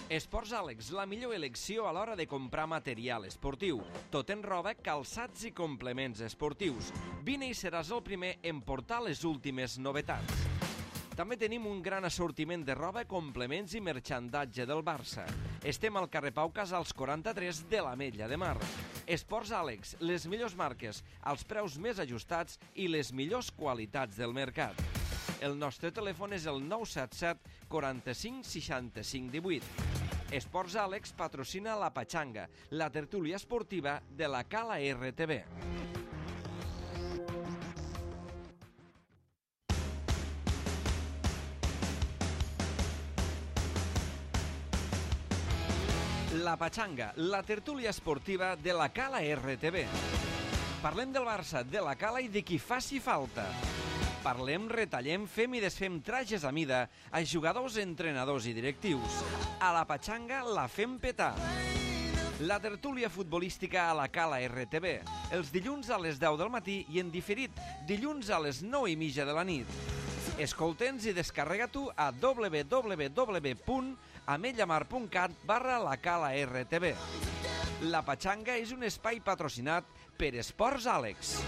Esports Àlex, la millor elecció a l'hora de comprar material esportiu. Tot en roba, calçats i complements esportius. Vine i seràs el primer en portar les últimes novetats. També tenim un gran assortiment de roba, complements i merxandatge del Barça. Estem al carrer Pau Casals 43 de l'Ametlla de Mar. Esports Àlex, les millors marques, els preus més ajustats i les millors qualitats del mercat. El nostre telèfon és el 977 45 65 18. Esports Àlex patrocina la Patxanga, la tertúlia esportiva de la Cala RTV. La Patxanga, la tertúlia esportiva de la Cala RTV. Parlem del Barça, de la Cala i de qui faci falta. Parlem, retallem, fem i desfem trajes a mida a jugadors, entrenadors i directius. A la Patxanga la fem petar. La tertúlia futbolística a la Cala RTV. Els dilluns a les 10 del matí i en diferit dilluns a les 9:30 de la nit. Escolta'ns i descarrega-t'ho a www.ametllamar.cat/la Cala RTV. La Patxanga és un espai patrocinat per Esports Àlex.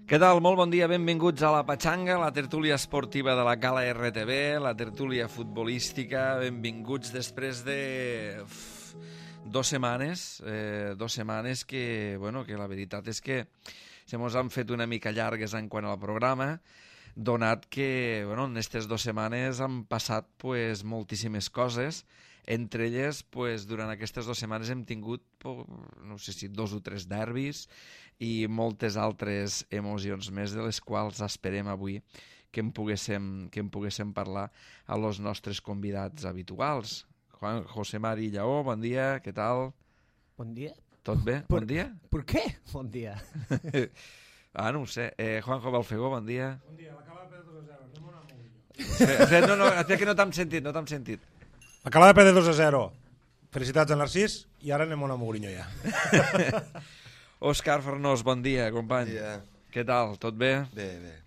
Què tal? Molt bon dia, benvinguts a la Patxanga, la tertúlia esportiva de la Cala RTV, la tertúlia futbolística. Benvinguts després de 2 setmanes, 2 setmanes que la veritat és que se mos han fet una mica llargues en quant al programa, donat que en aquestes 2 setmanes han passat moltíssimes coses. Entre elles, durant aquestes 2 setmanes hem tingut, no sé si 2 o 3 derbis i moltes altres emocions més, de les quals esperem avui que en poguéssim parlar a los nostres convidats habituals. José Mari Lleó, bon dia, què tal? Bon dia. Tot bé? Bon dia? Per què? Bon dia. No ho sé. Juanjo Balfegó, bon dia. Bon dia, la Cala de Pedro 2-0, anem a No, que no t'hem sentit. La Cala de Pedro 2-0. Felicitats a Narcís i ara anem a una Mourinho ja. Òscar Farnós, bon dia, company. Bon dia. Què tal? Tot bé? Bé.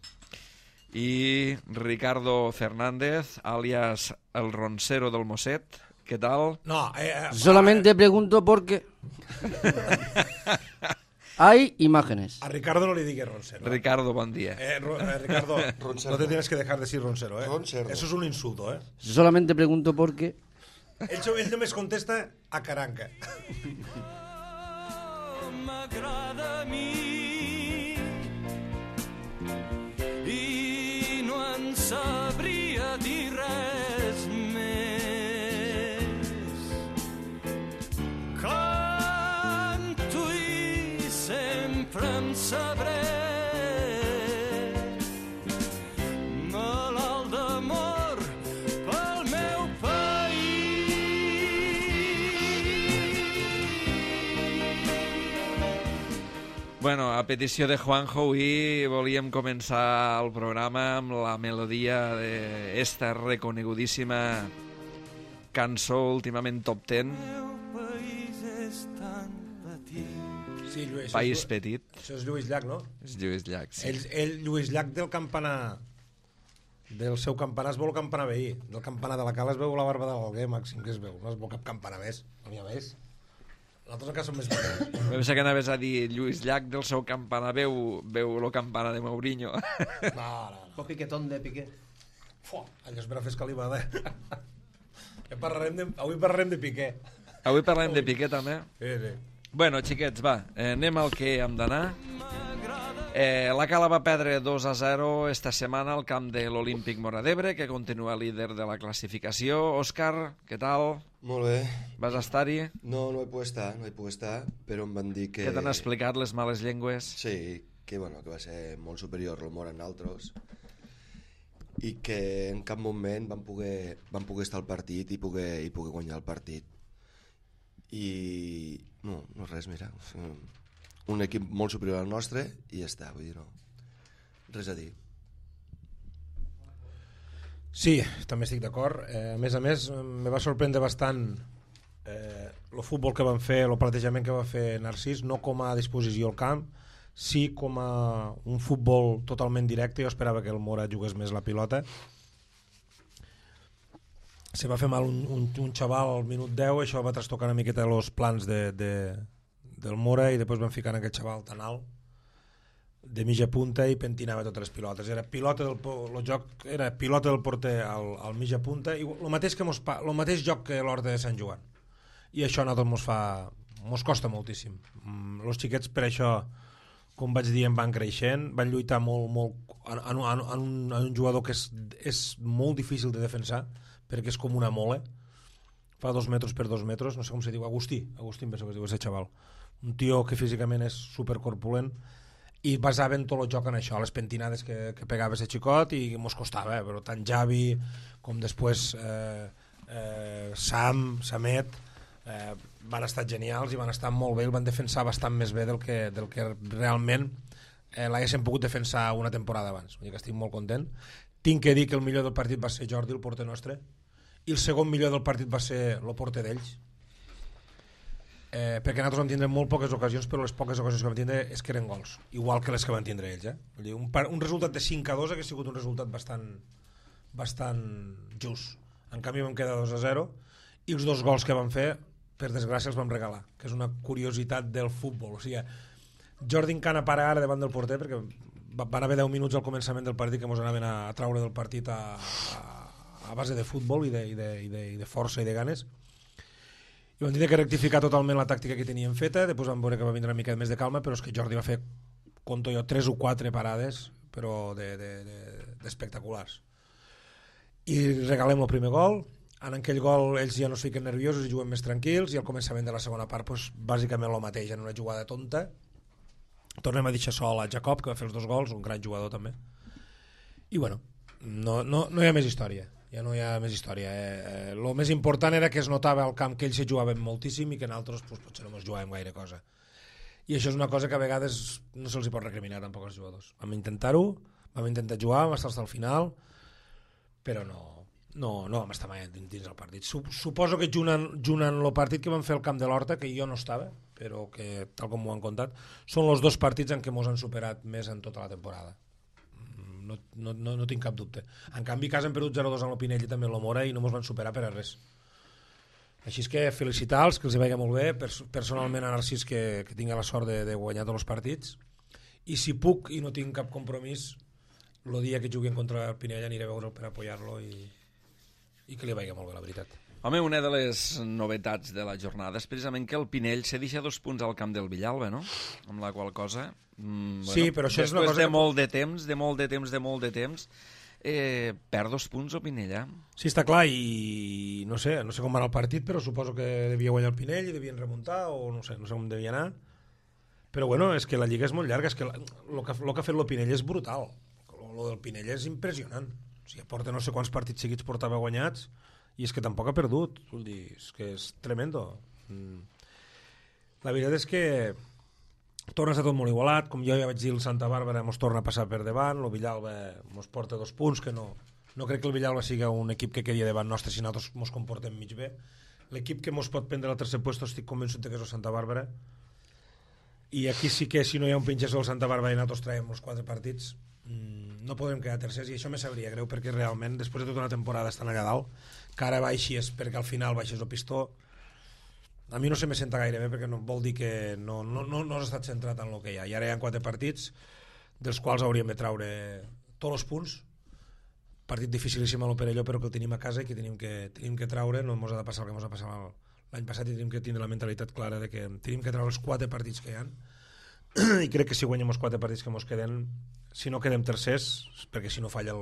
I Ricardo Fernández, alias el Roncero del Mosset, què tal? No, Solamente pregunto porque hay imágenes. a Ricardo no le digues Roncero. Ricardo, bon dia. Ricardo, Roncero. no te tienes que dejar decir Roncero, Roncero. Eso es un insulto, Solamente pregunto porque Ell només contesta a Caranca. M'agrada a mi i no en sabria dir res més. Canto i sempre em sabré malalt d'amor pel meu Bueno, a petició de Juanjo, avui volíem començar el programa amb la melodia d'esta reconegudíssima cançó últimament top 10, país és tan petit. Sí, Lluís. País Petit. Això és Lluís Llach, no? És Lluís Llach, sí. Ell, Lluís Llach, del campanar, del seu campanar es veu el campanar veí. Del campanar de la Cala es veu la barba de l'Alguer, màxim que es veu. No es veu cap campanar més, no n'hi ha més. Nosaltres encara som més petits. Em pensava que anaves a dir Lluís Llach del seu campanar veu el campanar de Mourinho. No. O piquetón de Piqué. Allò és per a fer escalivada. Avui parlarem de Piqué. Avui parlem de Piqué també. Sí. Bueno, xiquets, va, anem al que hem d'anar. La Cala va perdre 2-0 esta setmana al camp de l'Olímpic Móra d'Ebre, que continua líder de la classificació. Òscar, què tal? Molt bé. Vas estar-hi? No hi puc estar, però em van dir que... Què t'han explicat les males llengües? Sí, que va ser molt superior el Móra en altres i que en cap moment van poder estar al partit i poder guanyar el partit. I no res, mira, un equip molt superior al nostre i ja està, vull dir, no, res a dir. Sí, també estic d'acord. A més, me va sorprendre bastant el futbol que van fer, el plantejament que va fer Narcís, no com a disposició al camp, sí com a un futbol totalment directe. Jo esperava que el Móra jugués més la pilota se va fer mal un xaval al minut 10, això va trastocar una miqueta els plans del Mora i després van ficar en aquest xaval tan alt de mitja punta i pentinava totes les pilotes. Era pilota el joc era pilota del porter al mitja punta i el mateix joc que l'Horta de Sant Joan. I això a nosaltres mos costa moltíssim. Els xiquets per això, com vaig dir, van creixent, van lluitar molt en un jugador que és molt difícil de defensar perquè és com una mole, fa 2 metres per 2 metres, no sé com se diu, Agustí em penso que es diu aquest xaval, un tio que físicament és supercorpulent i basaven tot el joc en això, les pentinades que pegava ese xicot i mos costava, però tant Javi com després Samet van estar genials i van estar molt bé, el van defensar bastant més bé del que realment l'haguessin pogut defensar una temporada abans. Vull dir que estic molt content. Tinc que dir que el millor del partit va ser Jordi, el porter nostre, i el segon millor del partit va ser el porter d'ells, perquè nosaltres vam tindre molt poques ocasions, però les poques ocasions que vam tindre és que eren gols, igual que les que van tindre ells. Vull dir, un resultat de 5-2 hauria sigut un resultat bastant just. En canvi vam quedar 2-0 i els 2 gols que vam fer, per desgràcia, els vam regalar, que és una curiositat del futbol. O sigui, Jordi Encana para ara davant del porter, perquè van haver 10 minuts al començament del partit que ens anaven a traure del partit a base de futbol i de força i de ganes, i vam dir que rectificar totalment la tàctica que teníem feta. Després vam veure que va vindre una mica més de calma, però és que Jordi va fer, conto jo, 3 o 4 parades però d'espectaculars, i regalem el primer gol. En aquell gol ells ja no es fiquen nerviosos i juguen més tranquils, i al començament de la segona part doncs, bàsicament el mateix, en una jugada tonta tornem a deixar sol a Jacob, que va fer els 2 gols, un gran jugador també, i bueno, no hi ha més història. Ja no hi ha més història. El més important era que es notava al camp que ells se jugaven moltíssim i que nosaltres potser no ens jugàvem gaire cosa. I això és una cosa que a vegades no se'ls pot recriminar tampoc als jugadors. Vam intentar-ho, vam intentar jugar, vam estar al final, però no vam estar mai dins el partit. Suposo que junant el partit que vam fer al camp de l'Horta, que jo no estava, però que, tal com m'ho han contat, són els 2 partits en què ens han superat més en tota la temporada. No tinc cap dubte. En canvi, cas hem perdut 0-2 amb el Pinell i també el Mora i no ens van superar per a res. Així és que felicitar-los, que els hi vagi molt bé, personalment a Narcís que tingui la sort de guanyar tots els partits, i si puc i no tinc cap compromís, el dia que juguin contra el Pinell aniré a veure'l per apoyar-lo i que li vagi molt bé, la veritat. Home, una de les novetats de la jornada és precisament que el Pinell se deixa 2 punts al camp del Villalba, no? Amb la qual cosa... sí, però això és una cosa... Després de molt de temps, perd 2 punts el Pinell, eh? Sí, està clar, i no sé com va anar el partit, però suposo que devia guanyar el Pinell i devien remuntar, o no sé com devia anar. Però bueno, és que la Lliga és molt llarga, és que el que ha fet el Pinell és brutal. El del Pinell és impressionant. O sigui, porta no sé quants partits seguits portava guanyats, i és que tampoc ha perdut. Vull dir, és que és tremendo. La veritat és que torna a estar tot molt igualat, com jo ja vaig dir, el Santa Bàrbara ens torna a passar per davant, el Villalba ens porta 2 punts, que no crec que el Villalba sigui un equip que quedi davant nostre si nosaltres ens comportem mig bé. L'equip que ens pot prendre el tercer lloc estic convençut que és el Santa Bàrbara, i aquí sí que si no hi ha un pinxasso del Santa Bàrbara i nosaltres traiem els 4 partits no podem quedar tercers, i això me sabria greu, perquè realment després de tota una temporada estan allà dalt, que ara baixis perquè al final baixes el pistó, a mi no se me senta gaire bé, perquè no vol dir que no has estat centrat en el que hi ha. I ara hi ha 4 partits dels quals hauríem de traure tots els punts. Partit dificilíssim a l'Operelló, però que el tenim a casa i que tenim que traure. No ens ha de passar el que ens ha passat l'any passat, i tenim que tindre la mentalitat clara de que tenim que treure els 4 partits que hi ha, i crec que si guanyem els 4 partits que ens queden, si no quedem tercers, perquè si no falla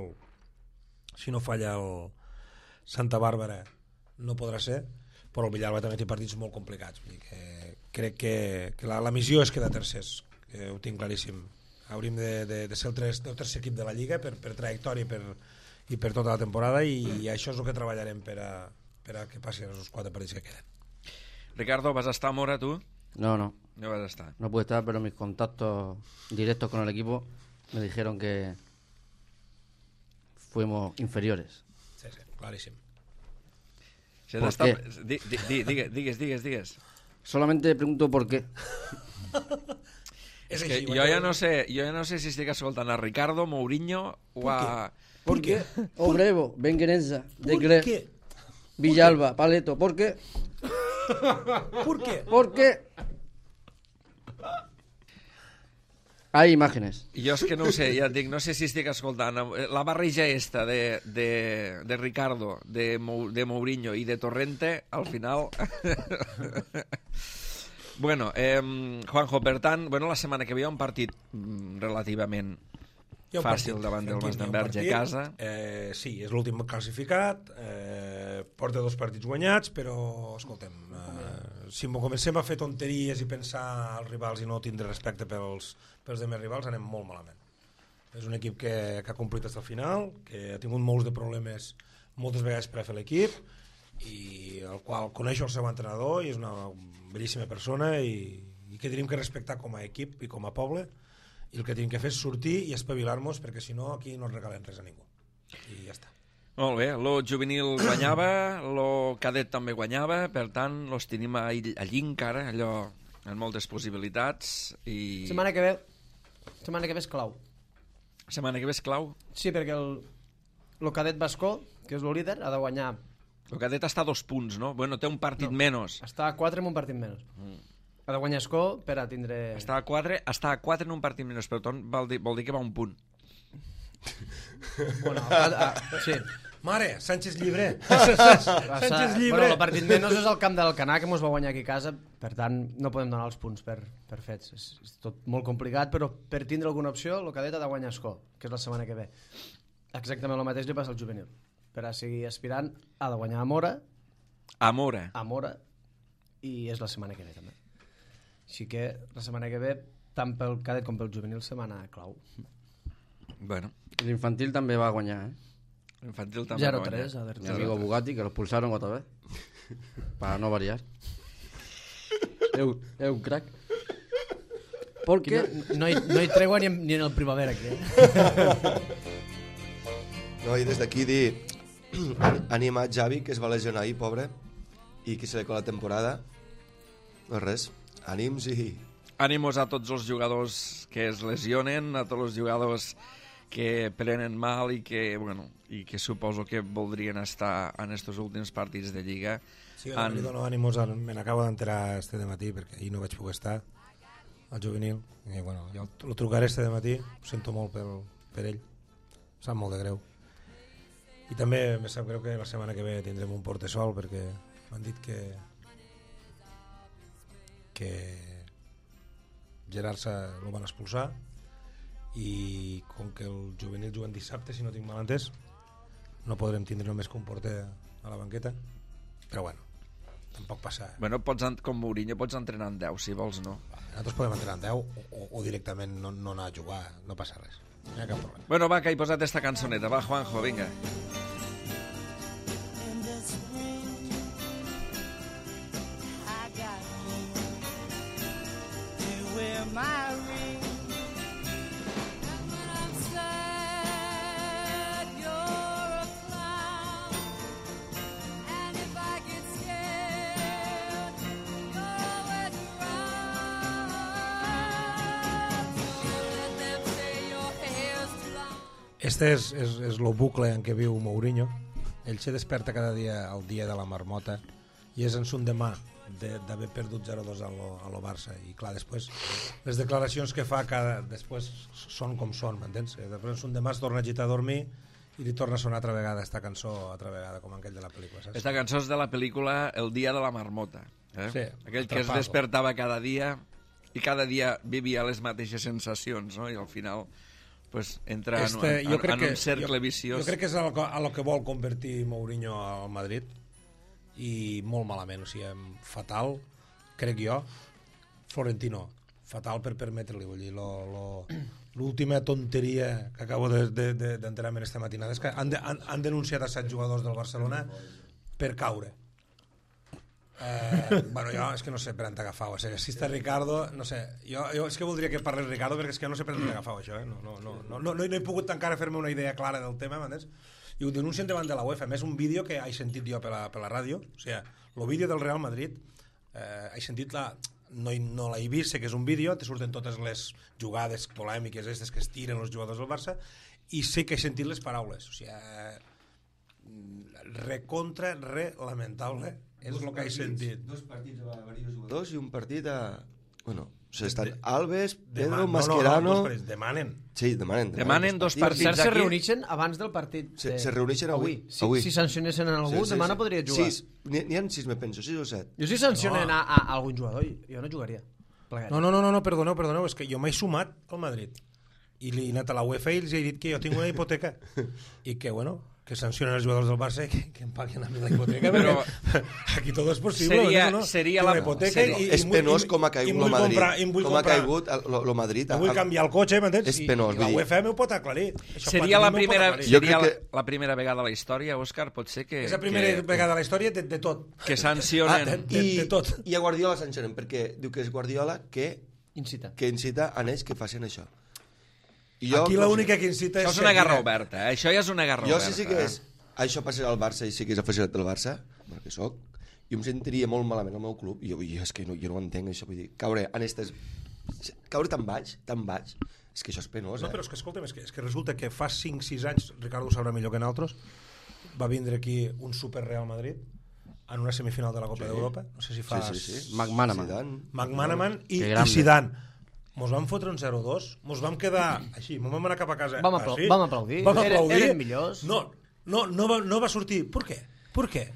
el Santa Bàrbara no podrà ser, però el Villalba també té partits molt complicats. Vull dir que crec que la missió és quedar tercers, que ho tinc claríssim. Hauríem de ser el tercer equip de la Lliga per trajectòria i per tota la temporada, i això és el que treballarem per a que passin els 4 partits que queden. Ricardo, ¿vas a estar, Mora, tú? No vas a estar. puede estar, pero mis contactos directos con el equipo me dijeron que fuimos inferiores. Sí, claríssim. Digues. Solamente pregunto por qué. És que jo ja no sé si estic escoltant a Ricardo, Mourinho o a... ¿Por qué? Obrevo, Benguerenza, de ¿Por qué? Villalba, Paleto, ¿por qué? ¿Por qué? Porque hay imágenes. Jo és que no ho sé, ja et dic, no sé si estic escoltant. La barreja esta de Ricardo, de Mourinho i de Torrente, al final... Bueno, Juanjo, per tant, bueno, la setmana que ve hi ha un partit relativament fàcil davant del Masdenverge a casa. Sí, és l'últim classificat, porta 2 partits guanyats, però, escoltem, si comencem a fer tonteries i pensar als rivals i no tindre respecte pels demés rivals, anem molt malament. És un equip que ha complit fins al final, que ha tingut molts de problemes moltes vegades per a fer l'equip, i el qual coneix el seu entrenador i és una bellíssima persona i que tenim que respectar com a equip i com a poble, i el que tenim que fer és sortir i espavilar-nos, perquè si no aquí no regalen res a ningú i ja està. Molt bé, lo juvenil guanyava, lo cadet també guanyava, per tant los tenim allí encara, allò amb moltes possibilitats i... Setmana que ve és clau. Setmana que ve és clau? Sí, perquè el cadet bascó, que és el líder, ha de guanyar. El cadet està a 2 punts, no? Bueno, té un partit menys. Està a 4 en un partit menys. Ha de guanyar Escó per a tindre... Està a 4 en un partit menys, però vol dir que va un punt. Bueno, sí. Mare, Sánchez llibre. Sánchez llibre. Bueno, el partit menys és el camp del Canà, que mos va guanyar aquí a casa, per tant no podem donar els punts per fets. És tot molt complicat, però per tindre alguna opció el cadet ha de guanyar Escó, que és la setmana que ve. Exactament el mateix li passa al juvenil. Per a seguir aspirant ha de guanyar a Mora, i és la setmana que ve també. Així que la setmana que ve, tant pel cadet com pel juvenil, setmana clau. Bueno. L'infantil també va guanyar, L'infantil també va guanyar. 0-3 Mi amigo Bugatti, que lo expulsaron otra vez. Para no variar. Es un crack. Porque no hi tregua ni en el primavera aquí. No, i des d'aquí dir animar Javi, que es va lesionar ahir, pobre, i que se li acaba la temporada. No res, ànims i... Ànimos a tots els jugadors que es lesionen, a tots els jugadors que prenen mal i que, bueno, i que suposo que voldrien estar en estos últims partits de Lliga. Sí, li dono ànimos, me n'acabo d'enterar este dematí, perquè ahir no vaig poder estar al juvenil, i bueno, jo el trucaré este dematí, ho sento molt per ell, em sap molt de greu. I també me sap greu que la setmana que ve tindrem un portesol, perquè m'han dit que Gerard lo van expulsar, i com que el juvenil juguen dissabte, si no tinc mal entès, no podrem tindre només que un porter a la banqueta, però bueno, tampoc passa. Bueno, com Mourinho pots entrenar en 10, si vols, no? Nosaltres podem entrenar en 10 o directament no anar a jugar, no passa res, no hi ha cap problema. Bueno, va, que he posat esta cançoneta. Va, Juanjo, vinga. Este és el bucle en què viu Mourinho. Ell se desperta cada dia el dia de la marmota i és en son demà d'haver perdut 0-2 a lo Barça, i clar, després les declaracions que fa després són com són, m'entens? Després en son demà es torna a agitar a dormir i li torna a sonar altra vegada esta cançó, altra vegada, com aquell de la pel·lícula, saps? Esta cançó és de la pel·lícula El dia de la marmota, Sí, aquell que es despertava cada dia i cada dia vivia les mateixes sensacions, no? I al final pues entra en un cercle viciós. Jo crec que és a lo que vol convertir Mourinho al Madrid, i molt malament, o sigui, fatal, crec jo. Florentino, fatal per permetre-li, vull dir, l'última tonteria que acabo d'enterar-me esta matinada és que han denunciat a 7 jugadors del Barcelona per caure. Bueno, jo és que no sé per on t'agafau, o sigui, si està Ricardo, no sé, jo és que voldria que parlés Ricardo, perquè és que no sé per on t'agafau això, no he pogut encara fer-me una idea clara del tema, m'entens? I ho denuncien davant de la UEFA, a més un vídeo que he sentit jo per la ràdio, o sigui, el vídeo del Real Madrid, he sentit no l'he vist, sé que és un vídeo, te surten totes les jugades polèmiques aquestes que es tiren els jugadors del Barça, i sé que he sentit les paraules, o sigui, lamentable. És el que he sentit. 2 partits a varios jugadors i un partit a... Bueno, estan Alves, Pedro, Mascherano... Demanen. Sí, demanen 2 Per partits cert, se aquí. reuneixen abans del partit. Se reuneixen avui. Si sancionessin a algú, demà no podria jugar. 6, n'hi ha 6, me penso, 6 o 7. Jo si sancionen a algun jugador, jo no jugaria. No, perdoneu, és que jo m'he sumat al Madrid i he anat a la UEFA i els he dit que jo tinc una hipoteca i que, bueno, que sancionen els jugadors del Barça i que em paguen a mi la hipoteca, però aquí tot és possible. Seria la hipoteca és penós com ha caigut el Madrid, com ha caigut el Madrid. Vull canviar el cotxe, m'entens? És penós. I la UEFA m'ho pot aclarir. Seria la primera vegada a la història, Òscar, pot ser que... És la primera vegada a la història de tot. Que sancionen. De tot. I a Guardiola sancionen, perquè diu que és Guardiola que incita a ells que facin això. Aquí l'única que incita és... Això és una guerra oberta, això ja és una guerra oberta. Jo sí que és... Això passarà al Barça i sí que és aficionat del Barça, perquè soc, jo em sentiria molt malament al meu club, i és que jo no ho entenc, això, vull dir, caure tan baix, és que això és penós, No, però és que, escolta'm, és que resulta que fa 5-6 anys, Ricardo ho sabrà millor que nosaltres, va vindre aquí un super Real Madrid en una semifinal de la Copa d'Europa, no sé si fa... Sí. McManaman i Zidane. Mos vam fotre un 0-2, mos vam quedar així, mos vam anar cap a casa. Vam aplaudir. Eren millors. No va sortir. Per què?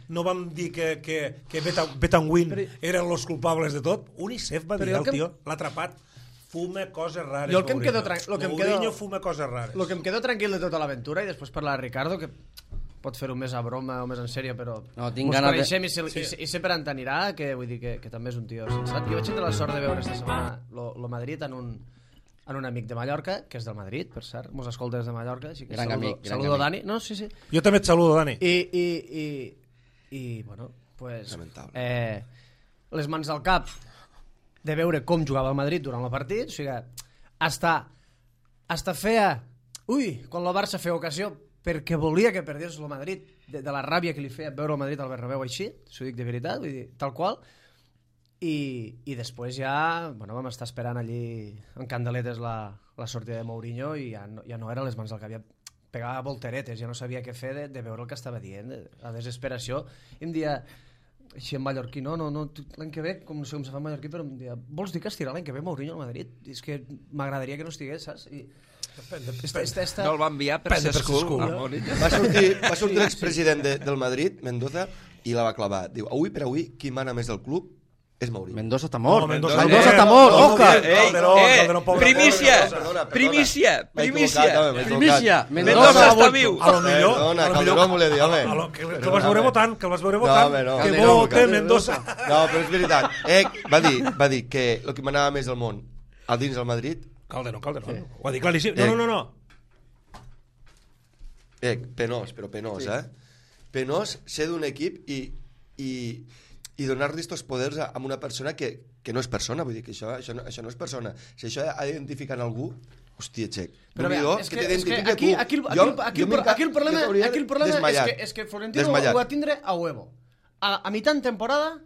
No vam dir que Betanwin eren los culpables de tot? UNICEF va dir, el tio l'ha atrapat. Fuma coses rares, Mourinho fuma coses rares. El que em quedo tranquil de tota l'aventura, i després parlar de Ricardo, que pot fer-ho més a broma o més en sèrio, però mos coneixem i sé per on anirà, que vull dir que també és un tio sensat. Jo vaig tenir la sort de veure esta setmana lo Madrid en un amic de Mallorca, que és del Madrid, per cert, mos escolta des de Mallorca, així que saludo Dani. No, sí. Jo també et saludo, Dani. I bueno, pues les mans al cap de veure com jugava el Madrid durant el partit, o sigui, hasta feia... quan el Barça feia ocasió, perquè volia que perdés el Madrid, de la ràbia que li feia veure el Madrid al Bernabéu així, s'ho dic de veritat, vull dir, tal qual, i després ja vam estar esperant allí en candeletes la sortida de Mourinho i ja no era les mans al cap, ja pegava volteretes, ja no sabia què fer de veure el que estava dient, la desesperació, i em dia, així en mallorquí, no, l'any que ve, com no sé com se fa en mallorquí, però em dia, vols dir que estirà l'any que ve Mourinho al Madrid? I és que m'agradaria que no estigués, saps? No el va enviar per ser school. Va sortir l'expresident del Madrid, Mendoza, i la va clavar. Diu, avui per avui, qui mana més del club és Mourinho. Mendoza està mort. Mendoza està mort, Òscar. Primícia. Mendoza està viu. A lo millor... Perdona, Calderón m'ho dir, home. Que el vas veure votant, que vote Mendoza. No, però és veritat. Va dir que el que manava més al món a dins del Madrid... Calderón. Ho ha dit claríssim. No. Penós, Penós ser d'un equip i donar-li estos poders a una persona que no és persona, vull dir que això no és persona. Si això ha d'identificar en algú, hòstia, Xec. Però aquí el problema és que Florentino ho va tindre a huevo. A mitjà de temporada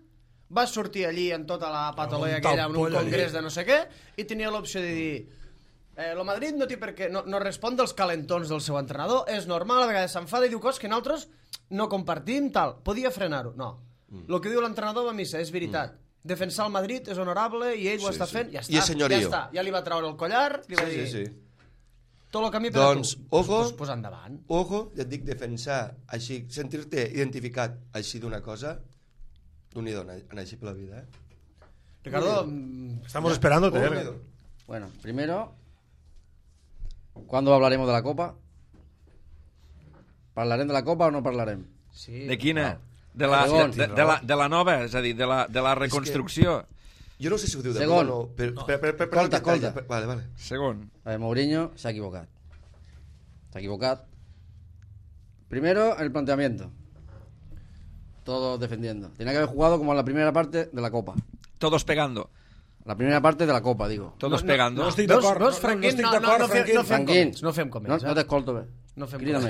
va sortir allí en tota la patologia aquella en un congrés de no sé què i tenia l'opció de dir el Madrid no té per què, no respon dels calentons del seu entrenador, és normal, a vegades s'enfada i diu coses que nosaltres no compartim, tal, podia frenar-ho, no. El que diu l'entrenador va a missa és veritat, defensar el Madrid és honorable i ell ho està fent, ja està, ja li va treure el collar, li va dir tot el camí per a tu, pues endavant. Ojo, ja et dic, defensar així, sentir-te identificat així d'una cosa, d'un-hi dona, anar així per la vida, Ricardo, estamos esperándote. Bueno, primero, ¿cuándo hablaremos de la Copa? ¿Parlarem de la Copa o no parlarem? Sí. De quina? De la nova, és a dir, de la reconstrucció. Jo no sé si ho diu de Segon. no, Escolta. Vale. Segon. Mourinho se ha equivocado. Primero, el planteamiento. Todos defendiendo. Tenía que haber jugado como en la primera parte de la Copa. Todos pegando. La primera parte de la Copa, digo. Todos pegando. No estic d'acord. No fem com ells. No t'escolto bé. No fem Crida com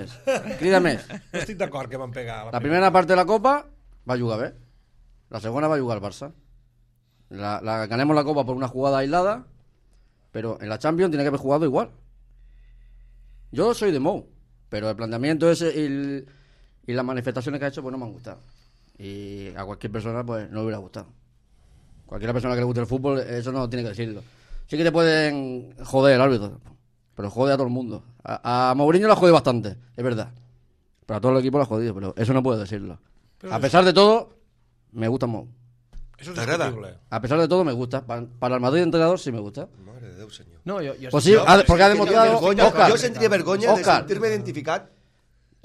més. No estic d'acord que van pegar. La primera parte de la Copa va jugar bé. La segunda va jugar el Barça. Ganemos la Copa por una jugada aislada, pero en la Champions tiene que haber jugado igual. Yo soy de Mou, pero el planteamiento ese, y las manifestaciones que ha hecho pues no me han gustado. Y a cualquier persona pues no le hubiera gustado. Cualquier persona que le guste el fútbol, eso no tiene que decirlo. Sí que te pueden joder el árbitro, pero jode a todo el mundo. A Mourinho lo ha jodido bastante, es verdad. Pero a todo el equipo lo ha jodido, pero eso no puedo decirlo. Pero a pesar de todo, me gusta Mou. Eso es discutible. A pesar de todo, me gusta. Para el Madrid entrenador sí me gusta. Mare de Déu, senyor. No, pues sí, porque ha demostrado... Jo sentiria vergonya de sentir-me identificat.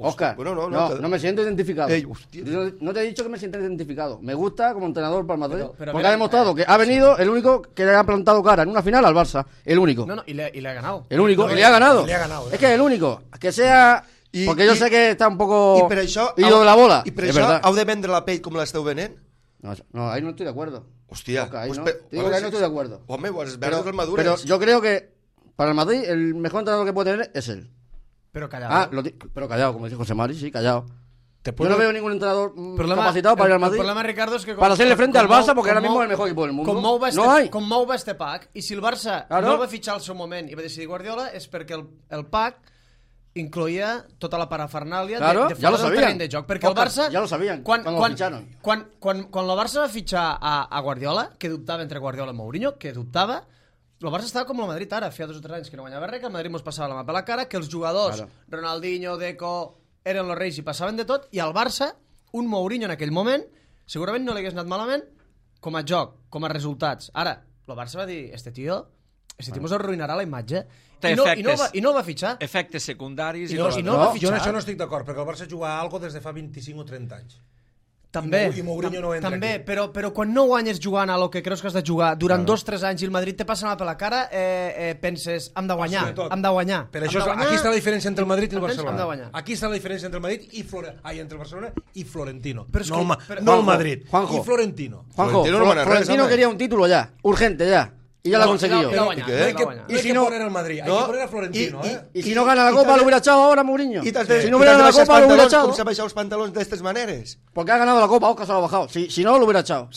Oscar, Bueno, no me siento identificado. Ey, hostia. No te he dicho que me sienta identificado. Me gusta como entrenador para el Madrid. Pero porque ha demostrado que ha venido el único que le ha plantado cara en una final al Barça. El único. No, y le ha ganado. El único. No, y le ha ganado. le ha ganado, Es que es el único. Que sea... Porque yo sé que está un poco... I per això... ido de la bola. I per es això verdad. heu de vendre la pell com l'esteu venent? No, ahí no estoy de acuerdo. Hòstia. Oscar, ahí pues no. pe- Digo que ahí no estoy de acuerdo. Home, pues verdes Pero madures. yo creo que para el Madrid el mejor entrenador que puede tener es él. Pero callado. Pero callado, como dice José Mari, sí, callado. Te Yo puedo- no veo ningún entrenador capacitado para ir al Madrid. El problema, Ricardo, es que... Para hacerle frente al Barça, porque ahora mismo es el mejor equipo del mundo. No hay. Com Mou va este pack, i si el Barça Claro. no el va fitxar al seu moment i va decidir Guardiola, és perquè el pack incloïa tota la parafernàlia Claro, de ya lo fora del sabían. terreny de joc. Perquè el Oscar, Barça... ya lo sabían cuando lo ficharon. Quan la Barça va fitxar a Guardiola, que dubtava entre Guardiola i Mourinho, que dubtava, el Barça estava com el Madrid ara, feia 2 o 3 anys que no guanyava res, que el Madrid mos passava la mà per la cara, que els jugadors, Claro. Ronaldinho, Deco, eren los reis i passaven de tot, i al Barça, un Mourinho en aquell moment, segurament no li hagués anat malament com a joc, com a resultats. Ara, el Barça va dir, este tío mos arruïnarà la imatge. Té I no efectes. el va fitxar. Efectes secundaris... I I no, coses. i no el va Jo en fitxar. això no estic d'acord, perquè el Barça juga a algo des de fa 25 o 30 anys. També, I Mourinho no entra també, aquí. però quan no guanyes jugant a lo que creus que has de jugar durant 2 o 3 anys i el Madrid te passa la mà per la cara, penses, hem de guanyar, Sobretot. hem de guanyar. Per això, hem de guanyar, aquí està la diferència entre el Madrid i el entens? Hem de Barcelona. guanyar. Aquí està la diferència entre el Madrid i entre el Barcelona i Florentino. Però és no, que- el, Ma- però- no el Juanjo, Madrid, Juanjo. i Florentino. Juanjo, Florentino no gana res, Florentino hombre. quería un título ya, urgente ya. Y ya lo ha conseguido. ja No l'ha hay guanyat, que, ja l'ha guanyat. no hay si que no- poner al Madrid, hay no, que poner a Florentino. Y si no gana la Copa, lo hubiera echado ahora Mourinho. I t'has de, Si no hubiera ganado la Copa, lo hubiera echado. Com s'ha baixat els pantalons d'estes maneres? Porque ha ganado la Copa, Oscar se lo ha bajado. Si no, lo hubiera echado.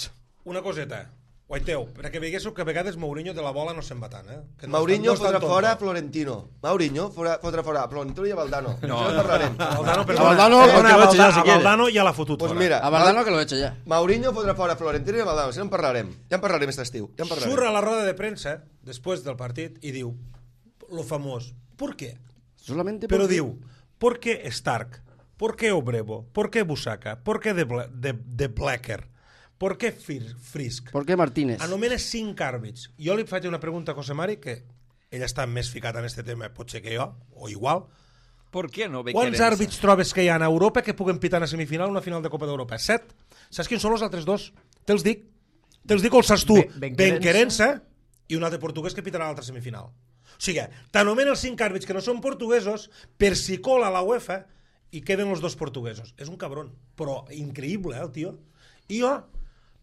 Una coseta, guaiteu, perquè veiéssiu que a vegades Mourinho de la bola no se'n va tant, Que no Mourinho està- no fotrà està tonto. fora a Florentino. Mourinho fotrà fora a Florentino i a Valdano. No. Això en parlarem. A Valdano, A Valdano, perdona, que lo eche ya, si a quiere. Valdano ja l'ha fotut Pues fora. mira, A Valdano que lo eche ya. Mourinho fotrà fora a Florentino i a Valdano. Això en parlarem. Ja en parlarem aquest estiu. Ja en parlarem. Surt a la roda de premsa, després del partit, i diu, lo famós, ¿por qué? Solamente Però porque- diu, ¿por qué Stark? ¿Por qué Obrevo? ¿Por qué Busaka? ¿Por qué de Blacker? ¿Por qué Frisk? ¿Por qué Martínez? Anomena 5 àrbits. Jo li faig una pregunta a José Mari, que ell està més ficat en aquest tema, potser que jo, o igual. Per què no ve Quants querença? àrbits trobes que hi ha a Europa que puguen pitar a semifinal una final de Copa d'Europa? 7. Saps quins són els altres 2? Te'ls dic. Te'ls dic o els saps tu. Benquerença i un altre portuguès que pitarà l'altra semifinal. O sigui, t'anomena els 5 àrbits que no són portuguesos per si cola la UEFA i queden els 2 portuguesos. És un cabron, però increïble, el tio. I jo,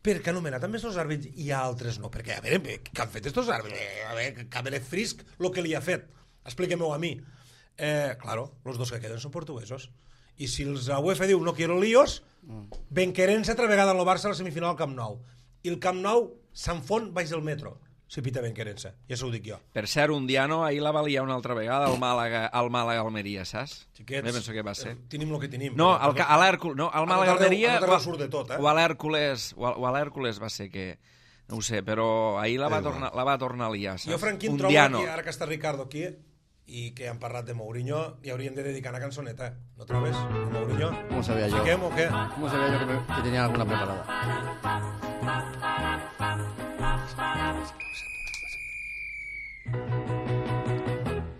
perquè anomenar també els àrbits i altres no, perquè a veure, què han fet estos àrbits? A veure, Cabernet Frisk, el que li ha fet, expliquem-ho a mi. Claro, los 2 que queden són portuguesos. I si la UEFA diu no quiero líos, Benquerença altra vegada al Barça a la semifinal al Camp Nou. I el Camp Nou s'enfon baix del metro, si pita Benquerença. Ja s'ho dic jo. Per cert, un Diano ahir la va liar una altra vegada al Màlaga-Almeria, saps? Xiquets, Bé, penso que va ser. Tenim el que tenim. No, a l'Hèrcules, no, al Màlaga-Almeria... A tot surt de tot, O a l'Hèrcules va ser que... No ho sé, però ahir la va tornar a liar, saps? Jo, Franquín, Un trobo Diano. aquí, ara que està Ricardo aquí, i que han parlat de Mourinho, i hauríem de dedicar una cançoneta. No trobes? De Mourinho? ¿Cómo sabía yo? Fiquem o què? ¿Cómo sabía yo que tenía alguna preparada?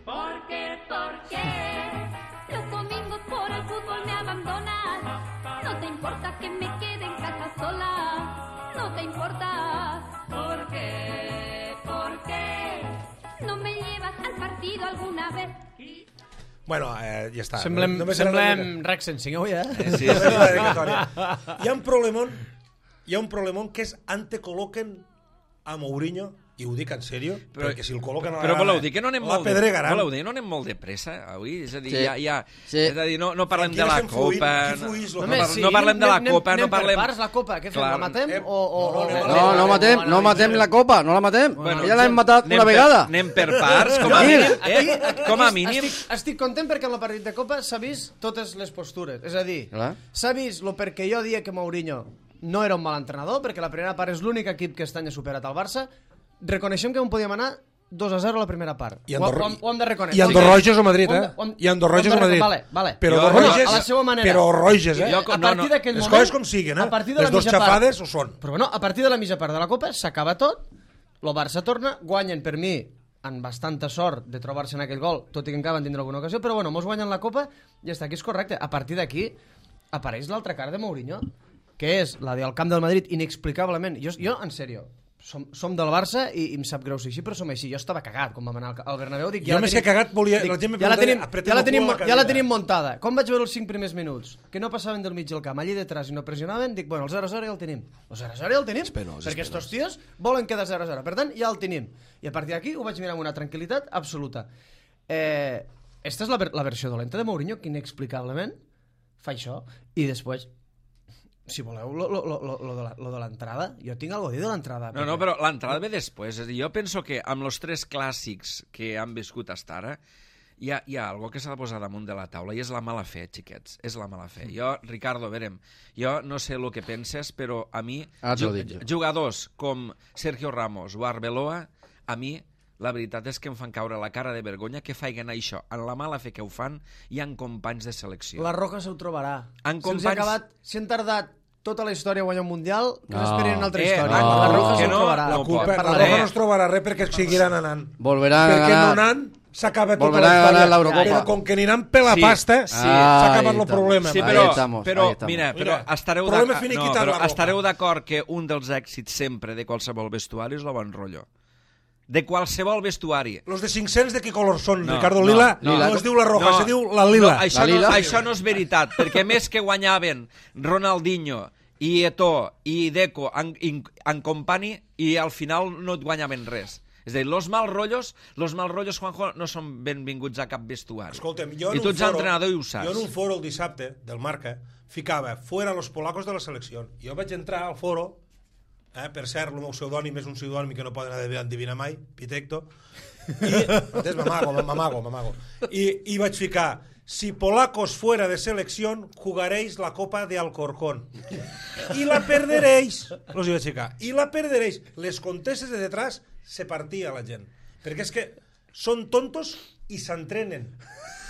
¿Por qué? Los domingos por el fútbol me abandonas. No te importa que me quede en casa sola. No te importa. ¿Por qué? No me llevas al partido alguna vez. Bueno, ja està. Semblem Només era una mica. Rex Sensing avui, Sí, Només sí. una dedicatòria. Hi ha un problemón que és antecol·loquen a Mourinho I ho dic en sèrio, perquè si el col·loquen a la però grada... voleu dir que no anem molt Pedregaran. no anem molt de pressa avui? És a dir, Sí. és a dir, no parlem de la Copa, No parlem de la Copa, no parlem... Anem per parts, la Copa, què fem, Clar. la matem? No matem la Copa, no la matem. Bueno, Ja l'hem matat una vegada. Anem per parts, com a mínim. Com a mínim. Estic content perquè en el partit de Copa s'ha vist totes les postures. És a dir, Clar. s'ha vist el perquè jo dia que Mourinho no era un mal entrenador, perquè la primera part és l'únic equip que aquest any ha superat el Barça. Reconeixem que on podíem anar 2-0 a la primera part. I ho hem de reconèixer. I Andorroges o Madrid, I Andorroges o Madrid. Vale. Però a la seva manera. Però Roges, A partir d'aquell les moment... coses com siguin, les dos xafades ho són. Però bueno, a partir de la mitja part de la Copa s'acaba tot, el Barça torna, guanyen per mi amb bastanta sort de trobar-se en aquell gol, tot i que encara van tindre alguna ocasió, però bueno, mos guanyen la Copa i està aquí, és correcte. A partir d'aquí apareix l'altra cara de Mourinho, que és la del camp del Madrid, inexplicablement. Jo en sèrio, som del Barça i em sap greu ser així, però som així. Jo estava cagat quan vam anar al Bernabéu. Dic, Jo més que cagat volia... Ja la tenim montada. Com vaig veure els 5 primers minuts? Que no passaven del mig del camp, allí detrás i no pressionaven, dic, bueno, el 0-0 ja el tenim. El 0-0 ja el tenim, perquè estos tios volen quedar 0-0. Per tant, ja el tenim. I a partir d'aquí ho vaig mirar amb una tranquil·litat absoluta. Esta és la versió dolenta de Mourinho, que inexplicablement fa això. I després... Si voleu, lo de l'entrada, jo tinc alguna cosa a dir de l'entrada. No, però l'entrada ve després. És a dir, jo penso que amb els 3 clàssics que han viscut fins ara, hi ha algo que s'ha de posar damunt de la taula i és la mala fe, xiquets. És la mala fe. Jo, Ricardo, verem, jo no sé el que penses, però a mi, jugadors com Sergio Ramos o Arbeloa, a mi la veritat és que em fan caure la cara de vergonya que faiguen això. En la mala fe que ho fan, hi ha companys de selecció. La Roca se ho trobarà. Companys... Si han tardat tota la història a guanyar un Mundial, que s'esperin una altra història. No, la Roca se ho trobarà. La Roca no es trobarà res perquè seguiran anant. Volveran perquè no anant s'acaba tota la història. Però com que aniran per la pasta, s'ha acabat el problema. Sí, però mira, estareu d'acord que un dels èxits sempre de qualsevol vestuari és el bon rotllo. De qualsevol vestuari. Los de 500 de qué color són, Ricardo? Lila? No es diu la roja, se diu la lila. Això no és veritat, perquè més que guanyaven Ronaldinho i Eto'o i Deco en company i al final no et guanyaven res. És a dir, los mal rotllos, Juanjo, no són benvinguts a cap vestuari. Escolta'm, I tu ets entrenador i ho saps. Jo en un foro el dissabte del Marca ficava fuera los polacos de la selecció. Jo vaig entrar al foro. Per cert, el meu pseudònim és un pseudònim que no poden endevinar mai, Pitecto, i m'amago. I vaig ficar, si polacos fuera de selección, jugaréis la Copa de Alcorcón. Y la perderéis. Los vaig ficar. Y la perderéis. Les contestes de detrás se partia la gent. Perquè és que són tontos i s'entrenen.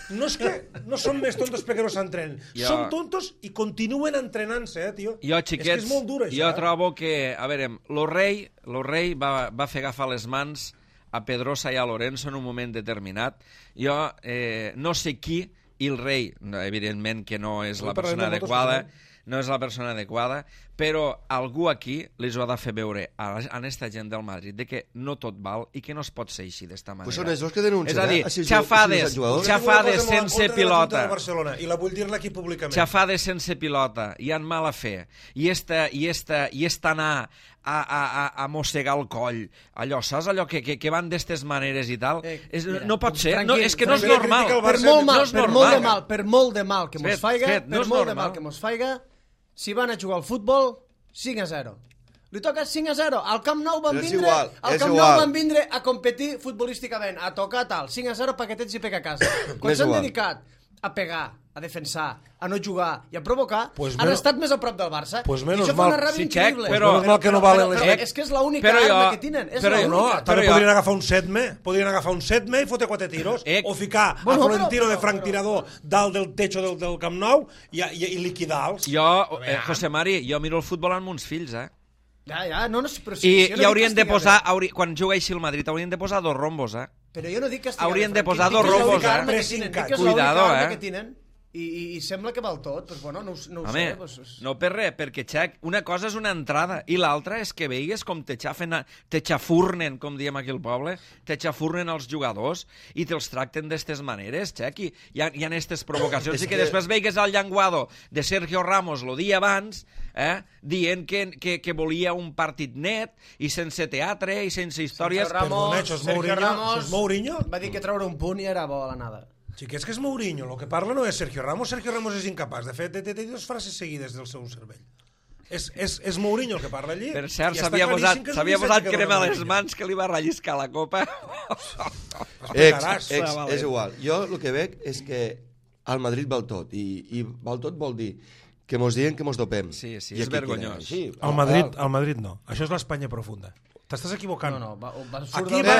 No és que no són més tontos perquè no s'entrenen. Són tontos i continuen entrenant-se, tio. Jo, xiquets, és que és molt dur, això. Jo trobo que, a veure, lo rei va fer agafar les mans a Pedrosa i a Lorenzo en un moment determinat. Jo no sé qui, i el rei, evidentment que no és la persona adequada, però algú aquí les ho ha de fer veure a aquesta gent del Madrid de que no tot val i que no es pot ser així d'esta manera. Pues són ells que denuncien. És a dir, xafades sense pilota. I la vull dir-la aquí públicament. Xafades sense pilota, i en mala fe, i anar a mossegar el coll, allò, saps allò que van d'estes maneres i tal? No pot ser, és que no és normal. Per molt de mal que mos faiga, si van a jugar al futbol, 5-0. Li toca 5-0. Al Camp Nou van vindre a competir futbolísticament, a tocar tal. 5-0 paquetets i pega a casa. Quan s'han dedicat a pegar, a defensar, a no jugar i a provocar, han estat més a prop del Barça. Pues I això fa una ràbia increïble. Menos mal que no valen les... És que és l'única arma que tenen. També podrien agafar un setme i fotre 4 tiros, o ficar a Florentino de franctirador dalt del techo del Camp Nou i liquidar-los. Jo, José Mari, jo miro el futbol amb uns fills, I haurien de posar, quan jugueixi el Madrid, haurien de posar 2 rombos, Però jo no dic que haurien de posar 2 rombos, Cuidado, que tenen. I sembla que val tot, però bueno, no ho sé. No per res, perquè, Xac, una cosa és una entrada i l'altra és que veigues com te xafurnen, com diem aquí al poble, te xafurnen els jugadors i te'ls tracten d'estes maneres, Xac, i hi ha aquestes provocacions, i que després veigues el llenguado de Sergio Ramos el dia abans, dient que volia un partit net i sense teatre i sense històries. Perdona, això és Mourinho? Va dir que treure un punt i era bo a la nada. Xiquets, que és Mourinho, el que parla no és Sergio Ramos. Sergio Ramos és incapaç. De fet, té dues frases seguides del seu cervell. És Mourinho el que parla allí. Per cert, s'havia posat crema a les mans que li va relliscar la copa. És igual. Jo el que veig és que al Madrid val tot, i val tot vol dir que mos diuen que mos dopem. Sí, és vergonyós. Al Madrid no. Això és l'Espanya profunda. T'estàs equivocant. No,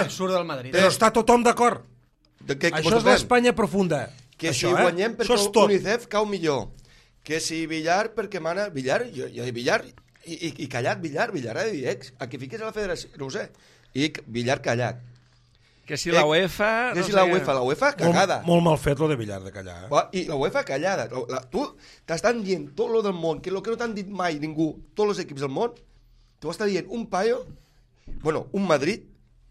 surt del Madrid. Però està tothom d'acord. Això és l'Espanya profunda. Que si guanyem perquè UNICEF cau millor. Que si Villar perquè mana... Villar, jo dic Villar i callat Villar ha de dir a què fiques a la federació, no ho sé. I Villar callat. Que si la UEFA... Que si la UEFA cagada. Molt mal fet lo de Villar de callar. I la UEFA callada. Tu t'estan dient tot lo del món, que lo que no t'han dit mai ningú, tots els equips del món, tu estàs dient un paio, bueno, un Madrid,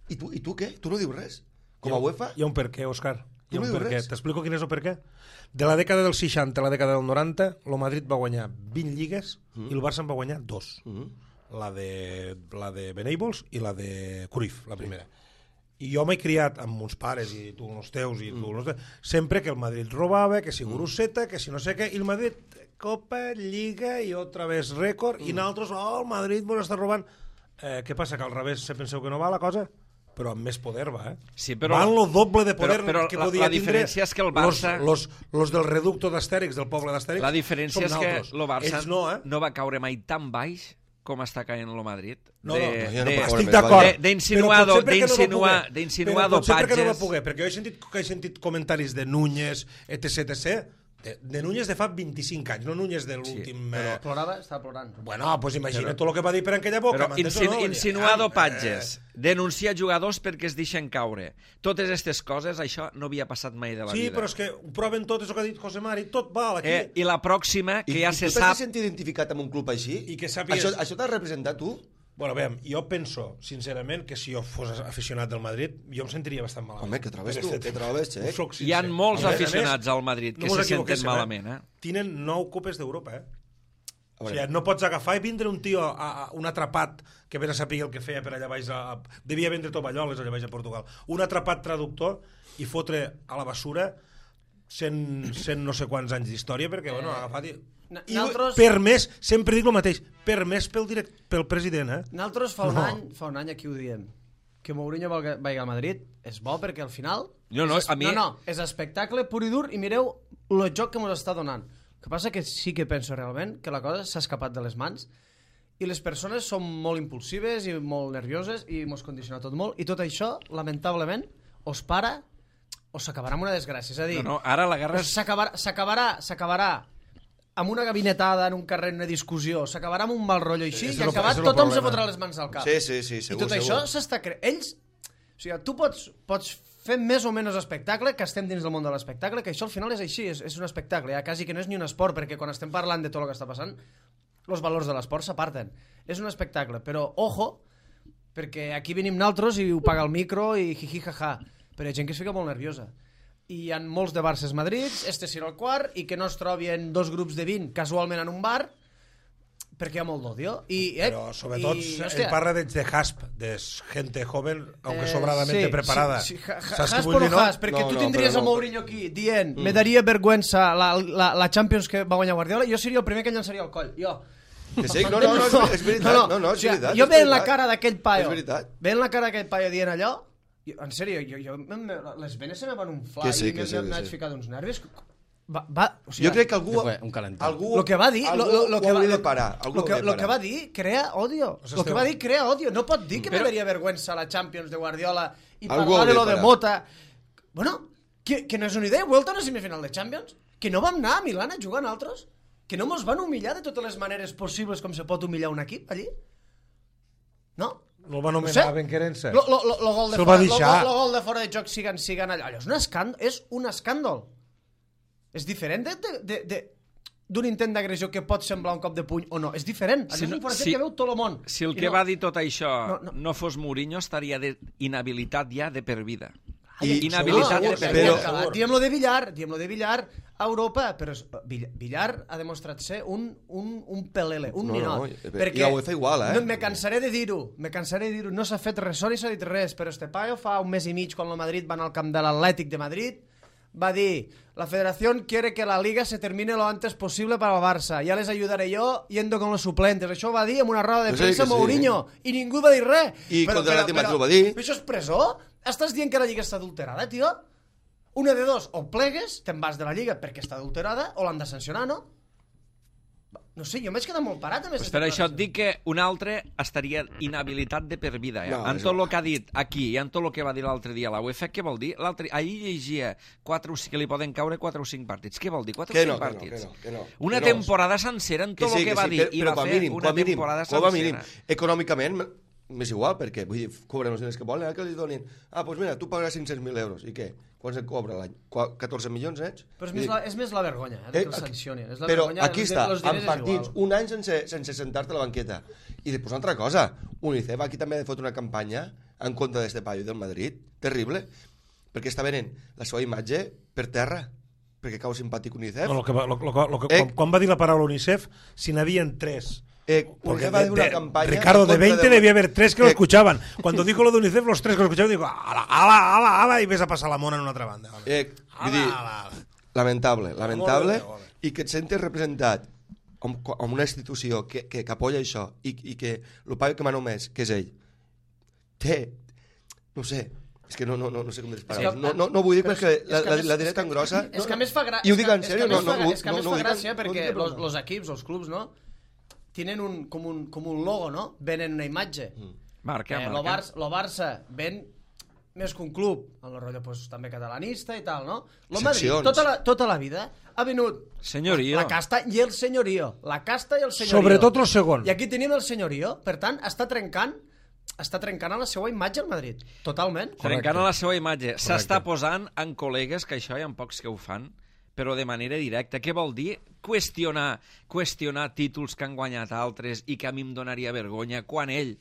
i tu què? Tu no dius res? Com a UEFA? Hi ha un per què, Òscar. Tu no dius res? T'explico quin és el per què. De la dècada del 60 a la dècada del 90, el Madrid va guanyar 20 lligues i el Barça en va guanyar 2. La de Benables i la de Cruyff, la primera. I jo m'he criat amb uns pares i tu amb els teus i tu amb els teus, sempre que el Madrid robava, que si Guruseta, que si no sé què, i el Madrid Copa, Lliga i otra vez rècord, i nosaltres, el Madrid mos està robant. Què passa, que al revés se penseu que no va la cosa? Però amb més poder va, Sí, però, van lo doble de poder però que podia la diferència és que el Barça... Los del reducto d'Astèrix, del poble d'Astèrix, la diferència és que el Barça no va caure mai tan baix com està caient el Madrid. Estic d'acord. D'insinuar dopatges. Però potser perquè no va poder, perquè jo he sentit comentaris de Núñez, etc. De Núñez de fa 25 anys, no Núñez de l'últim... Però plorava, estava plorant. Bueno, pues imagina't tot el que va dir per aquella boca. Però insinuar dopatges, denunciar jugadors perquè es deixen caure, totes aquestes coses, això no havia passat mai de la vida. Sí, però és que ho proven tot, és el que ha dit José Mari, tot val aquí. I la pròxima, que ja se sap... I tu t'has sentit identificat amb un club així? I que sàpigues... Això t'has representat tu? Bueno, veiem, jo penso, sincerament, que si jo fos aficionat del Madrid, jo em sentiria bastant malament. Home, que trobes tu, que trobes, Xec. Hi ha molts aficionats al Madrid que se senten malament, Tenen 9 copes d'Europa, O sigui, no pots agafar i vindre un tio, un atrapat, que ben a saber el que feia per allà baix, devia vendre tovalloles allà baix a Portugal, un atrapat traductor i fotre a la bessura 100 no sé quants anys d'història, perquè, bueno, ha agafat... I per més, sempre dic el mateix, per més pel president, Nosaltres fa un any aquí ho diem, que Mourinho vagi al Madrid és bo perquè al final és espectacle pur i dur i mireu el joc que ens està donant. El que passa que sí que penso realment que la cosa s'ha escapat de les mans i les persones són molt impulsives i molt nervioses i ens condiciona tot molt i tot això, lamentablement, us para o s'acabarà amb una desgràcia. És a dir, ara la guerra s'acabarà amb una gabinetada en un carrer, en una discussió, s'acabarà amb un mal rotllo així i acabat tothom se fotrà les mans al cap. Sí, segur. I tot això s'està creant. Ells... O sigui, tu pots fer més o menys espectacle, que estem dins del món de l'espectacle, que això al final és així, és un espectacle, ja quasi que no és ni un esport, perquè quan estem parlant de tot el que està passant, els valors de l'esport s'aparten. És un espectacle, però ojo, perquè aquí venim naltros i ho paga el micro i jiji jaja, però hi ha gent que es fica molt nerviosa. I hi ha molts de Barces Madrids, serà el quart, i que no es trobin 2 grups de 20 casualment en un bar, perquè hi ha molt d'odio. Però sobretot ell parla de hasp, de gente joven, aunque sobradamente preparada. Hasp o no hasp, perquè tu tindries a Mourinho aquí dient me daria vergüenza la Champions que va guanyar Guardiola, jo seria el primer que llançaria el coll, jo. Que sí, no, és veritat. No, és veritat. Jo veient la cara d'aquell paio, dient allò, en sèrio, les venes se me van unflar i m'haig ficat uns nervis. Jo crec que algú el que va dir hauria de parar. El que va dir crea odio. El que va dir crea odio. No pot dir que me daria vergüenza la Champions de Guardiola i parlar de lo de Mota. Bueno, que no és una idea. Vuelta a una semifinal de Champions. Que no vam anar a Milán a jugar nosaltres. Que no mos van humillar de totes les maneres possibles com se pot humillar un equip allí. No? No el va anomenar benquerença. El gol de fora de joc siguen allà. Allò és un escàndol. És diferent d'un intent d'agressió que pot semblar un cop de puny o no. És diferent. Allò és informació que veu tot el món. Si el que va dir tot això no fos Mourinho, estaria inhabilitat ja de per vida. Inhabilitat de per vida. Diem-lo de Villar a Europa, però Villar ha demostrat ser un pelele, un ninot. I la UEFA igual, Me cansaré de dir-ho, no s'ha fet res, ni s'ha dit res, però este paio fa un mes i mig, quan el Madrid va anar al camp de l'Atlètic de Madrid, va dir, la federación quiere que la liga se termine lo antes posible para el Barça, ya les ayudaré yo yendo con los suplentes. Això ho va dir en una roda de premsa Mourinho, i ningú va dir res. I contra l'Atlètic Madrid ho va dir. Això és presó? Estàs dient que la lliga està adulterada, tio? Una de dos, o plegues, te'n vas de la lliga perquè està adulterada, o l'han de sancionar, no? No sé, jo m'he quedat molt parat amb pues per això et dic que un altre estaria inhabilitat de per vida. En tot el que ha dit aquí i en tot el que va dir l'altre dia a la UEFA, què vol dir? Ahir llegia que li poden caure 4 o 5 partits. Què vol dir? 4 o 5 partits? Una temporada sencera en tot el que va dir. I va fer una temporada sencera. Econòmicament m'és igual, perquè vull dir, cobren els diners que volen, que li donin, doncs mira, tu pagaràs 500.000 euros, i què? Quants et cobra l'any? 14 milions, ets? Però és més la vergonya, que el sancionin. Però aquí està, en partits, un any sense sentar-te a la banqueta. I després una altra cosa, UNICEF aquí també ha fot una campanya en contra d'este paio del Madrid, terrible, perquè està venent la seva imatge per terra, perquè cau simpàtic UNICEF. Quan va dir la paraula UNICEF, si n'havien 3... Porque Ricardo, de 20 debía haber 3 que lo escuchaban. Cuando dijo lo de UNICEF, los 3 que lo escuchaban, digo, ala, y ves a pasar la mona en una altra banda. Lamentable, i que et sentes representat amb una institució que apoya això i que el paio que m'ha només, que és ell, no sé, és que no sé com dir paraules. No vull dir perquè la diré tan grossa. És que a més fa gràcia. I ho dic en sèrio, és que a més fa gràcia perquè els equips, els clubs, no? Tienen com un logo, no? Venen una imatge. Marca. Lo Barça ven més que un club, en el rotllo pues, també catalanista i tal, no? Lo Madrid, tota la vida, ha venut la casta i el senyorío. La casta i el senyorío. Sobretot el segon. I aquí tenim el senyorío, per tant, està trencant a la seva imatge el Madrid. Totalment. Trencant a la seva imatge. S'està posant en col·legues, que això hi ha pocs que ho fan, però de manera directa. Què vol dir? Qüestionar títols que han guanyat altres i que a mi em donaria vergonya, quan ell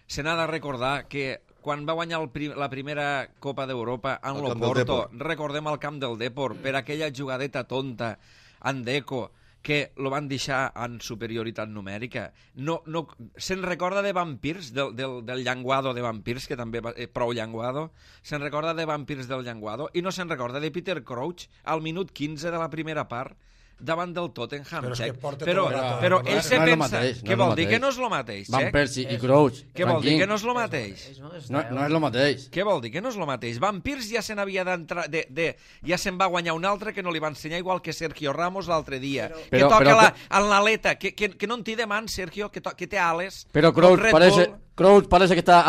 se n'ha de recordar que quan va guanyar la primera Copa d'Europa en l'Oporto, recordem el camp del Depor, per aquella jugadeta tonta en Deco, que lo van deixar en superioritat numèrica. Se'n recorda de Vampirs, del llenguado de Vampirs, que també prou llenguado, se'n recorda de Vampirs del llenguado, i no se'n recorda de Peter Crouch al minut 15 de la primera part, davant del Tottenham. Però ell se pensa... Què vol dir? Que no és el mateix. Van Persie i Crouch. Què vol dir? Que no és el mateix. No és el mateix. Què vol dir? Que no és el mateix. Van Persie ja se n'havia d'entrar... Ja se'n va guanyar un altre que no li va ensenyar, igual que Sergio Ramos l'altre dia. Que toca en l'aleta. Que no en té de mans, Sergio, que té ales. Però Crouch parece que està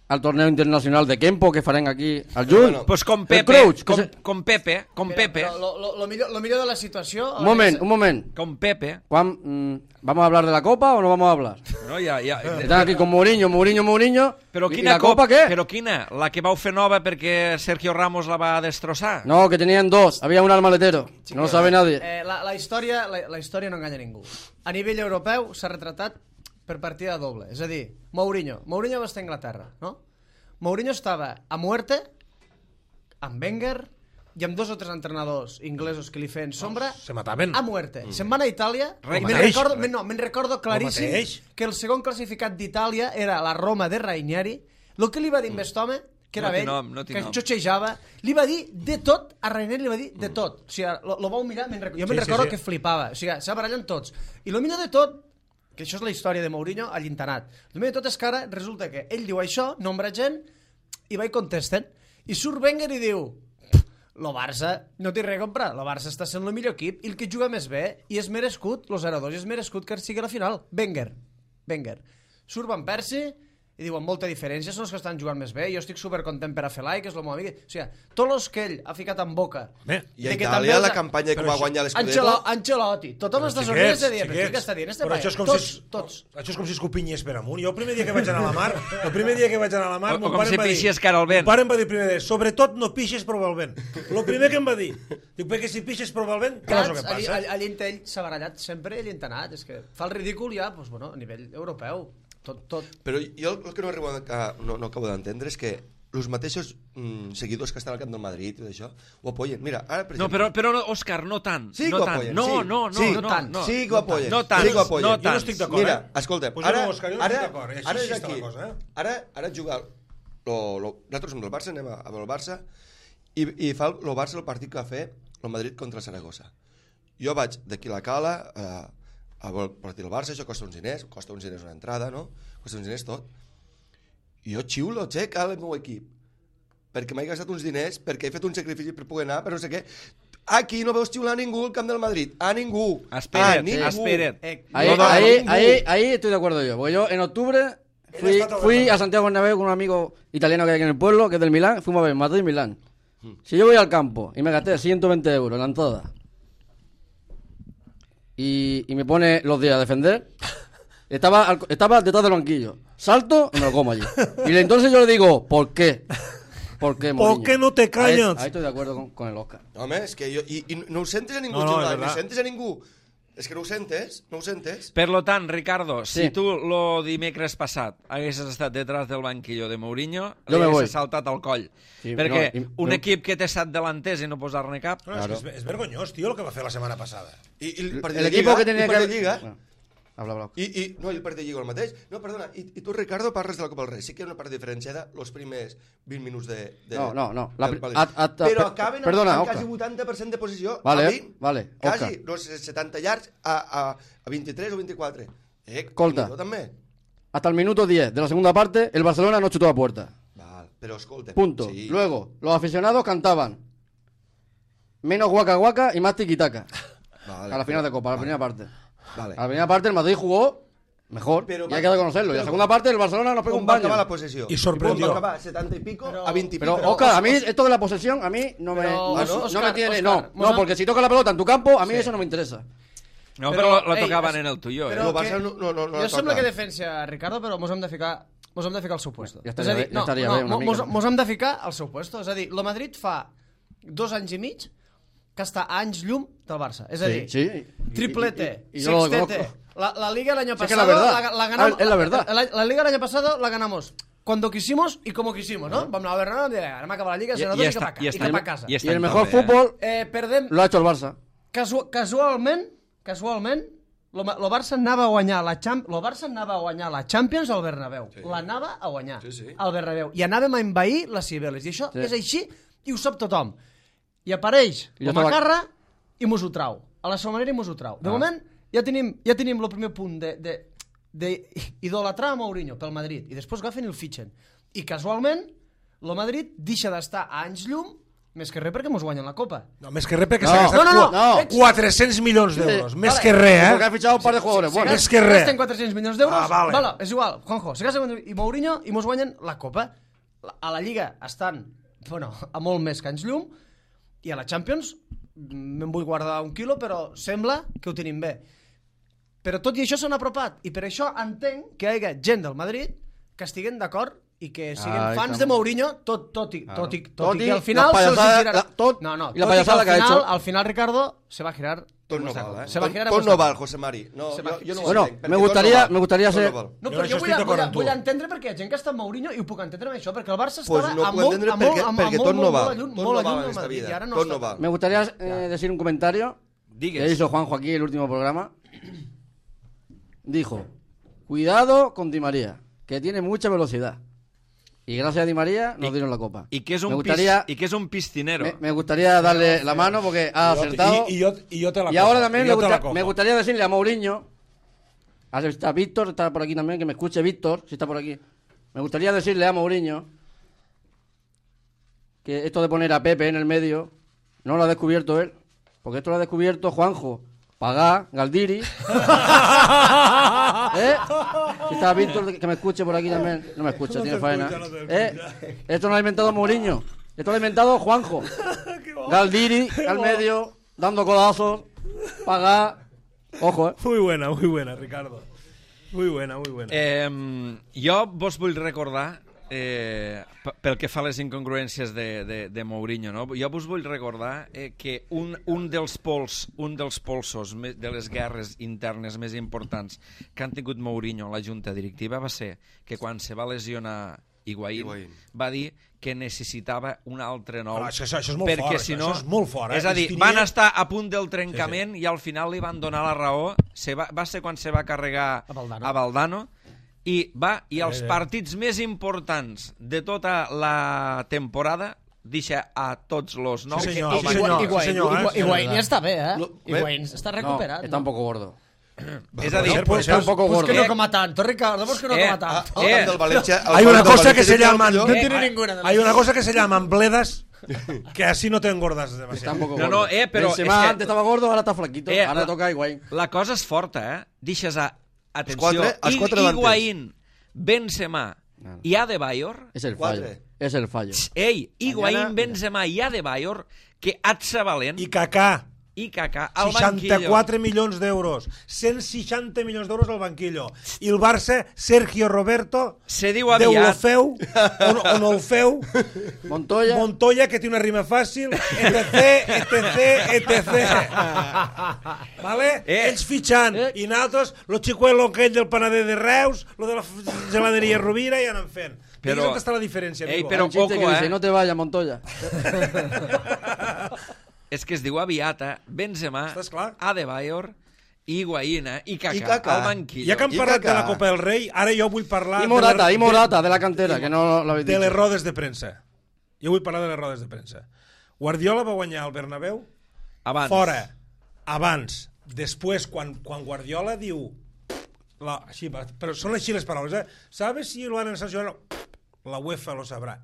al torneo internacional de Kempo que farem aquí al juny. Pues con Pepe. Con Pepe. Lo millor de la situació... Un moment. Con Pepe. ¿Vamos a hablar de la Copa o no vamos a hablar? No, ya. Están aquí con Mourinho. Però quina la Copa què? Però quina? La que vau fer nova perquè Sergio Ramos la va destrossar? No, que tenían 2. Había una al maletero. No lo sabe nadie. La història no enganya ningú. A nivell europeu s'ha retratat per partida doble. És a dir, Mourinho va estar a Anglaterra, no? Mourinho estava a muerte, amb Wenger i amb 2 o 3 entrenadors inglesos que li feien sombra, a muerte. Se'n van a Itàlia, i me'n recordo claríssim que el segon classificat d'Itàlia era la Roma de Ranieri. El que li va dir amb aquest home, que era vell, que xotxejava, li va dir de tot, a Ranieri li va dir de tot. O sigui, lo vau mirar, jo me'n recordo que flipava. O sigui, s'ha barallant tots. I el millor de tot, que això és la història de Mourinho a l'internat. El millor de tot és que ara resulta que ell diu això, nombra gent, i va i contesten. I surt Wenger i diu, lo Barça no té res a comprar, lo Barça està sent el millor equip, i el que juga més bé, i és merescut, lo 0-2, i és merescut que sigui a la final. Wenger. Surt Van Persie, i diu, amb molta diferència, són els que estan jugant més bé, jo estic supercontent per a Felai, que és el meu amic. O sigui, tots els que ell ha ficat en boca... I a Itàlia la campanya que va guanyar l'Scudetto... Ancelotti, tothom està sorprès de dir, però què està dient? Però això és com si escopinyés per amunt. Jo el primer dia que vaig anar a la mar, o com si pixés cara al vent. Mon pare em va dir primer, sobretot no pixes prova el vent. El primer que em va dir, diu, perquè si pixes prova el vent, què és el que passa? Allí ell s'ha barallat sempre, ell entenat, és que fa el ridícul ja, a nivell europeu. Tot. Però jo el que no acabo d'entendre és que els mateixos seguidors que estan al camp del Madrid i tot això, ho apoyen. Mira, ara, per No, exemple... però Òscar, no tant. Sí que no ho tant. apoyen, No, sí. no, Sí, no, tant. no. Sí que ho apoyen. No tant, Sí que ho apoyen. no Jo no tant. estic d'acord, Mira, escolta, Pues jo no, Òscar, jo no estic d'acord, així ara sí és està aquí. la cosa, Ara juga... Nosaltres som del Barça, anem a veure el Barça, i fa el Barça el partit que va fer el Madrid contra el Saragossa. Jo vaig d'aquí a la Cala a veure el partit del Barça, això costa uns diners una entrada, no? Costa uns diners tot. I jo xiulo, xec, al meu equip, perquè m'he gastat uns diners, perquè he fet un sacrifici per poder anar, per no sé què. Aquí no veus xiular a ningú al camp del Madrid, a ningú. Espera't. Ahí estoy de acuerdo yo, porque yo en octubre fui a Santiago Bernabéu con un amigo italiano que hay aquí en el pueblo, que es del Milán, fuimos a ver Madrid-Milán. Si yo voy al campo y me gasté 120 euros en la entrada y me pone los días a defender, estaba detrás del banquillo, salto y me lo como allí. Y entonces yo le digo, ¿por qué? ¿Por qué, Mourinho? ¿Por qué no te callas? Ahí estoy de acuerdo con el Òscar. Home, és que jo... I no ho sentes a ningú, No, xiular, és no verdad. sentes a ningú. És que no ho sentes, no ho sentes. Per lo tant, Ricardo, si Sí. tu lo dimecres passat haguessis estat detrás del banquillo de Mourinho, Jo me voy. haguessis saltat al coll. Sí, perquè no, un equip que té 7 delanters i no posar-ne cap... No, és que és vergonyós, tio, el que va fer la setmana passada. I el partit El de equipo Lliga, que tenía el partit que... de Lliga, Bueno, habla. no, i el partit de Lliga el mateix. No, perdona, i tu, Ricardo, parles de la Copa del Rei. Sí que hi ha una part diferenciada els primers 20 minuts de No. del València. Però acaben Perdona, amb Òscar. quasi 80% de posició. Vale, a 20, vale, Quasi, Òscar. no sé, 70 yards a 23 o 24. Escolta. millor també. Hasta el minuto 10 de la segunda parte, el Barcelona no chutó a puerta. Val, però escolta. Punto. Sí. Luego, los aficionados cantaban menos guaca guaca y más tiquitaca. Vale, A la final de Copa, a la vale, primera parte. Vale. A la primera parte el Madrid jugó mejor, Pero y hay que reconocerlo. Y a la pero- segunda parte el Barcelona nos pegó Com un va baño. acabar la possessió? I sorprendió. Com va acabar? 70 y pico a 20 y pico. Pero, Oscar, a mí esto de la posesión, a mí no me, Pero, no me tiene... Oscar, no, porque si toca la pelota en tu campo, a mí eso no me interesa. No, Però, però la ei, tocaven en el tuyo. però- El Barça no Jo sembla toca. que defensa Ricardo, però mos hem de ficar al seu puesto. Ja estaria és a dir, bé, ja estaria bé, una mica. mos hem de ficar al seu puesto. És a dir, el Madrid fa 2 anys i mig que està a anys llum del Barça. És a dir, Sí. triplete, Y yo lo sextete. conozco. La Liga el año Sí, que pasado la verdad. la ganamos. Es la verdad. La Liga el año pasado la ganamos cuando quisimos y como quisimos, ¿no? Vam anar a Bernabéu i anem a acabar la Liga, I- se i i està- cap i a està- casa. i Y està el mejor també, fútbol Perdem lo ha hecho el Barça. casualment, lo Barça anava a guanyar la Champions al Bernabéu. Sí. L'anava a guanyar al Bernabéu. I anàvem a envair les Cibeles. I això és així i ho sap tothom. I apareix I jo com a estava- carra i mos ho trau. A la seva manera i mos ho trau. De moment ja tenim el primer punt d'idolatrar a Mourinho pel Madrid. I després agafen i el fitxen. I casualment, el Madrid deixa d'estar a anys llum més que res perquè mos guanyen la Copa. No, més que res perquè No. s'ha gastat No. 400 milions d'euros. Més Vale. que res, Porque ha fichado un par de jugadores buenos. Més que res. Gasten 400 milions d'euros. Ah, vale. És igual, Juanjo. Se gasten i Mourinho i mos guanyen la Copa. A la Lliga estan, a molt més que anys llum i a la Champions me'n vull guardar un quilo, però sembla que ho tenim bé. Però tot i això s'han apropat i per això entenc que hi hagi gent del Madrid que estiguen d'acord i que siguin Ahí fans estamos. de Mourinho tot i Tot que i al final la se'ls payasada- girarà. la- tot- No, y la tot i que payasada que ha hecho. al final Ricardo se va a girar. Tot no val, Se va a girar. Tot no val, José Mari. No, Se va- jo no ho Bueno, entenc, perquè me tot gustaría, no val. me gustaría Tot ser... no val. No, Jo però això jo estic d'acord amb tu. vull entendre perquè hi ha gent que està amb Mourinho i ho puc entendre amb això, perquè el Barça Pues estava no a puc molt, entendre a molt, perquè a molt, tot no molt, val. molt lluny, Tot molt no lluny val del en esta Madrid, vida. i ara no Tot està. no val. Me gustaría decir un comentario que Digues. hizo Juanjo aquí el último programa. Dijo, cuidado con Di María, que tiene mucha velocidad. Y gracias a Di María nos dieron la copa. I que és me un, gustaría, i que és un piscinero. me gustaría darle la mano porque ha acertado. Y yo te la Y ahora cojo, también y yo te la me cojo. gustaría decirle a Mourinho, está Víctor, está por aquí también, que me escuche Víctor, si está por aquí. Me gustaría decirle a Mourinho que esto de poner a Pepe en el medio no lo ha descubierto él, porque esto lo ha descubierto Juanjo, Pagá, Galdiri. Si está Víctor, que me escuche por aquí también. No me escucha, tiene faena. Esto no lo ha inventado Mourinho, esto lo ha inventado Juanjo. Galdiri al medio, dando codazos, Pagá. Ojo, Muy buena, Ricardo. Muy buena. Jo vos vull recordar, pel que fa a les incongruències de Mourinho, no? Jo vos vull recordar que un dels polsos de les guerres internes més importants que han tingut Mourinho a la junta directiva va ser que quan se va lesionar Higuaín, va dir que necessitava un altre nou. Això és molt perquè fort, si no, això és molt fort. És a dir, van estar a punt del trencament i al final li van donar la raó. Va ser quan se va carregar a Valdano i els partits més importants de tota la temporada deixa a tots los nous. Sí, senyor. Higuaín ja està bé, Higuaín està recuperat. Está un poco gordo. És a dir, Está un poco gordo. Pues que no coma tanto, Ricardo, pues que no coma tanto. Del Valencia, Hay una cosa que se llama... No tiene ninguna. Hay una cosa que se llaman bledas que así no te engordas Está demasiado. un poco No, gordo. però Benzema és que- antes estaba gordo, ahora está flaquito. Ahora toca a Higuaín. la cosa és forta, Deixes atenció, els quatre davanters. Higuaín, Benzema i Adebayor. Es el fallo. Quatre. Es el fallo. Ei, Higuaín, Benzema i Adebayor, que atza valent, I Kaká, i Kaká al banquillo. 64 milions d'euros, 160 milions d'euros al banquillo. I el Barça, Sergio Roberto, Se diu Déu lo aviat. feu, o no el feu, Montoya, que té una rima fàcil, etc. Vale? Ells fitxant, i nosaltres, lo xicuelo aquell del panader de Reus, lo de la geladeria Rovira, i anem fent. Però- on està la diferència, amigo? Però Un chiste ojo, que dice, no te vayas, Montoya. És que es diu aviat, Benzema, Estàs clar? Adebayor, Higuaín i I Kaká Kaká. al banquillo. Ja que hem I parlat de Kaká. la Copa del Rei, ara jo vull parlar Y Morata, de la cantera, que no lo habéis de dicho. les rodes de premsa. Jo vull parlar de les rodes de premsa. Guardiola va guanyar al Bernabéu Abans. fora, abans, després, quan Guardiola diu... Així, però són així les paraules, ¿Sabes si lo han sancionado? La UEFA lo sabrà.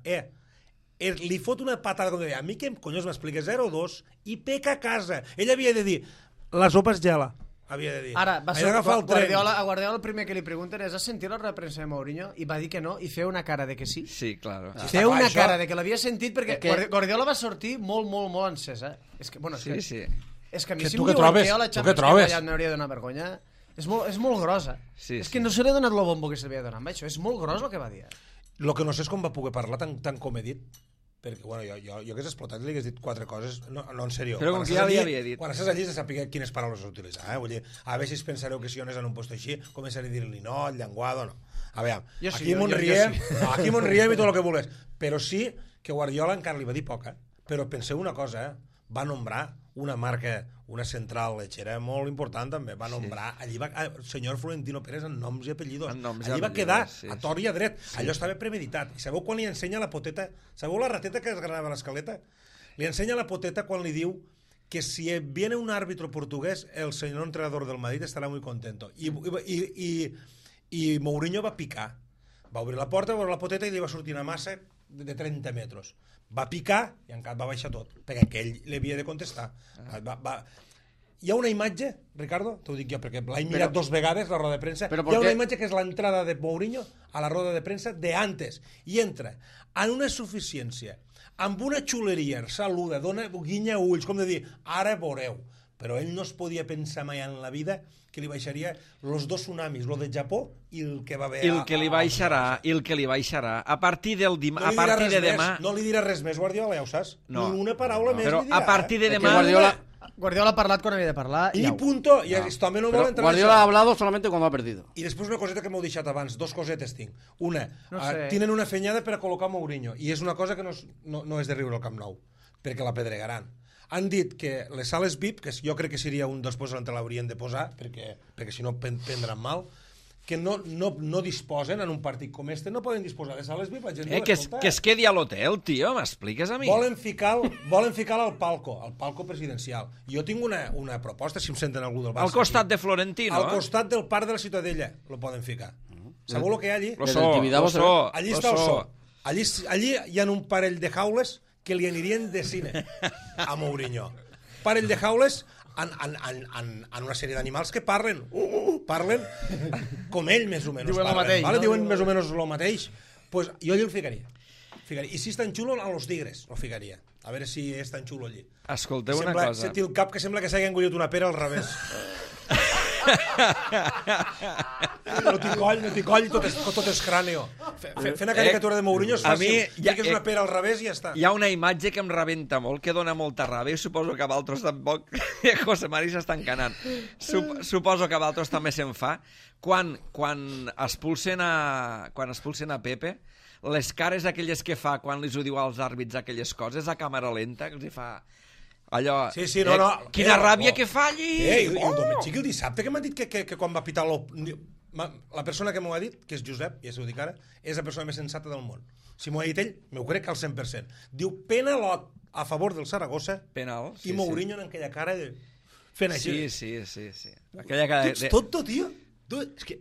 Li fot una patada com deia, a mi què conyos m'explica 0-2 i peca a casa. Ell havia de dir, la sopa es gela. Havia de dir. Ara, va ser Havia d'agafar el tren. a Guardiola el primer que li pregunten és: has sentit la represa de Mourinho? I va dir que no, i feu una cara de que sí. Sí, claro. Feu una això- cara de que l'havia sentit, perquè que- Guardiola va sortir molt encès, És que, bueno, Sí, sí. És que a mi Que si tu em què diuen trobes? que jo a la Tu què Champions trobes? League m'hauria de donar vergonya, és molt grossa. Sí, és sí. que no se li ha donat el bombo que se li havia donat amb això, és molt gros el que va dir. Lo que no sé és com va poder parlar tan com he dit, perquè bueno, jo hagués explotat i li hagués dit 4 coses, no en sèrio. Però com Quan que estàs ja li allí- havia dit. Quan estàs allí has de saber quines paraules utilitzar, Vull dir, a veure si es pensareu que si on és en un post així, començaré a dir-li no, el llenguado, no. A veure, Jo sí, aquí jo Montriem, sí. aquí Montriem i tot el que vulguis, però sí que Guardiola encara li va dir poca, però penseu una cosa, va nombrar una marca, una central lechera molt important també, va nombrar, allí va, el senyor Florentino Pérez en noms i apellidos, En noms i allí va apellidos, quedar sí, a tort i a dret, allò estava premeditat, i sabeu quan li ensenya la poteta, sabeu la rateta que es granava a l'escaleta? Li ensenya la poteta quan li diu que si viene un árbitro portugués, el señor entrenador del Madrid estarà muy contento. I Mourinho va picar. Va obrir la porta, va obrir la poteta i li va sortir una massa de 30 metres. Va picar i encara va baixar tot, perquè ell li havia de contestar. Hi ha una imatge, Ricardo, t'ho dic jo, perquè l'he mirat 2 vegades, la roda de premsa, Però hi ha ¿por una qué? imatge que és l'entrada de Mourinho a la roda de premsa de antes, i entra en una suficiència, amb una xuleria, saluda, dona, guinya ulls, com de dir, ara veureu. Però ell no es podia pensar mai en la vida que li baixaria los 2 tsunamis, lo de Japó i el que va haver... I el que li baixarà, a partir del No a li dirà partir res de més, demà... no li dirà res més, Guardiola, ja ho saps. No. Ni una paraula més Però li dirà. a partir de Es que demà... Guardiola ha parlat quan havia de parlar I au. punto, i esto també no vol Pero entrar en Guardiola ha això. hablado solamente cuando ha perdido. I després una coseta que m'heu deixat abans, 2 cosetes tinc. Una, No sé. tenen una fenyada per a col·locar Mourinho, i és una cosa que no és de riure al Camp Nou, perquè la pedregaran. Han dit que les sales VIP, que jo crec que seria un dels posts on l'haurien de posar, perquè si no prendran mal, que no disposen en un partit com este, no poden disposar de sales VIP. La gent diu, Que escolta, es quedi a l'hotel, tio, m'expliques a mi? volen ficar al palco presidencial. Jo tinc una proposta, si em senten algú del Barça. Al costat aquí. de Florentino, Al costat del parc de la Ciutadella lo poden ficar. Sabeu el que hi ha allí? Lo Desde so, el Tibidabo lo se so, Allí lo està el so. so. Allí hi ha un parell de jaules que li anirien de cine a Mourinho. Parell de jaules en una sèrie d'animals que parlen com ell més o menys Diuen el parlen, mateix, vale? no? Diuen més o menys el mateix. Pues jo allí el ficaria. I si és tan xulo, a los tigres el ficaria. A veure si és tan xulo allí. Escolteu una Sembla, cosa. té el cap que sembla que s'hagi engullit una pera al revés. No t'hi coll, tot és cràneo. Fent una caricatura de Mourinho és A fàcil. mi, Fiques una pera al revés i ja està. Hi ha una imatge que em rebenta molt, que dona molta ràbia, i suposo que a Valtros tampoc. José Mari s'està encanant. Suposo que a Valtros també se'n fa. Quan expulsen a Pepe, les cares aquelles que fa quan li ho diu als àrbits aquelles coses a càmera lenta, que els hi fa allò... Sí, no. Quina ràbia que fa allí! I el diumenge i el dissabte que m'ha dit que quan va pitar la persona que m'ho ha dit, que és Josep, ja s'ho dic ara, és la persona més sensata del món. Si m'ho ha dit ell, m'ho crec al 100%. Diu penalot a favor del Saragossa Penal, sí, i Mourinho en aquella cara de... fent així. Sí. Aquella cara... Tu ets tonto, tio. Tu,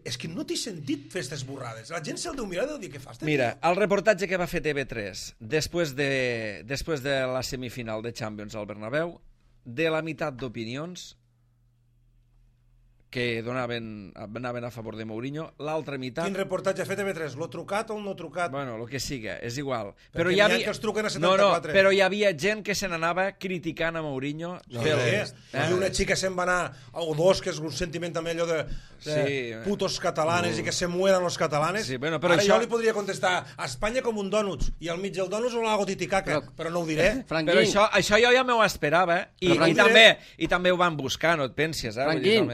és que no t'he sentit fer aquestes borrades. La gent se'l deu mirar i deu dir què fas. Mira, el reportatge que va fer TV3 després de la semifinal de Champions al Bernabéu, de la meitat d'opinions que anaven a favor de Mourinho, l'altra meitat... Quin reportatge ha fet TV3? L'ho trucat o el no trucat? Bueno, el que siga, és igual. Però hi havia... que els truquen a 74. No, però hi havia gent que se n'anava criticant a Mourinho. I una xica se'n va anar o dos, que és un sentiment també allò de putos catalanes i que se mueran los catalanes. Sí, bueno, però ara això... jo li podria contestar a Espanya com un dònuts i al mig del dònuts o l'hago titicaca, però no ho diré. Però això jo ja m'ho esperava i també ho van buscar, no et penses, Franquín,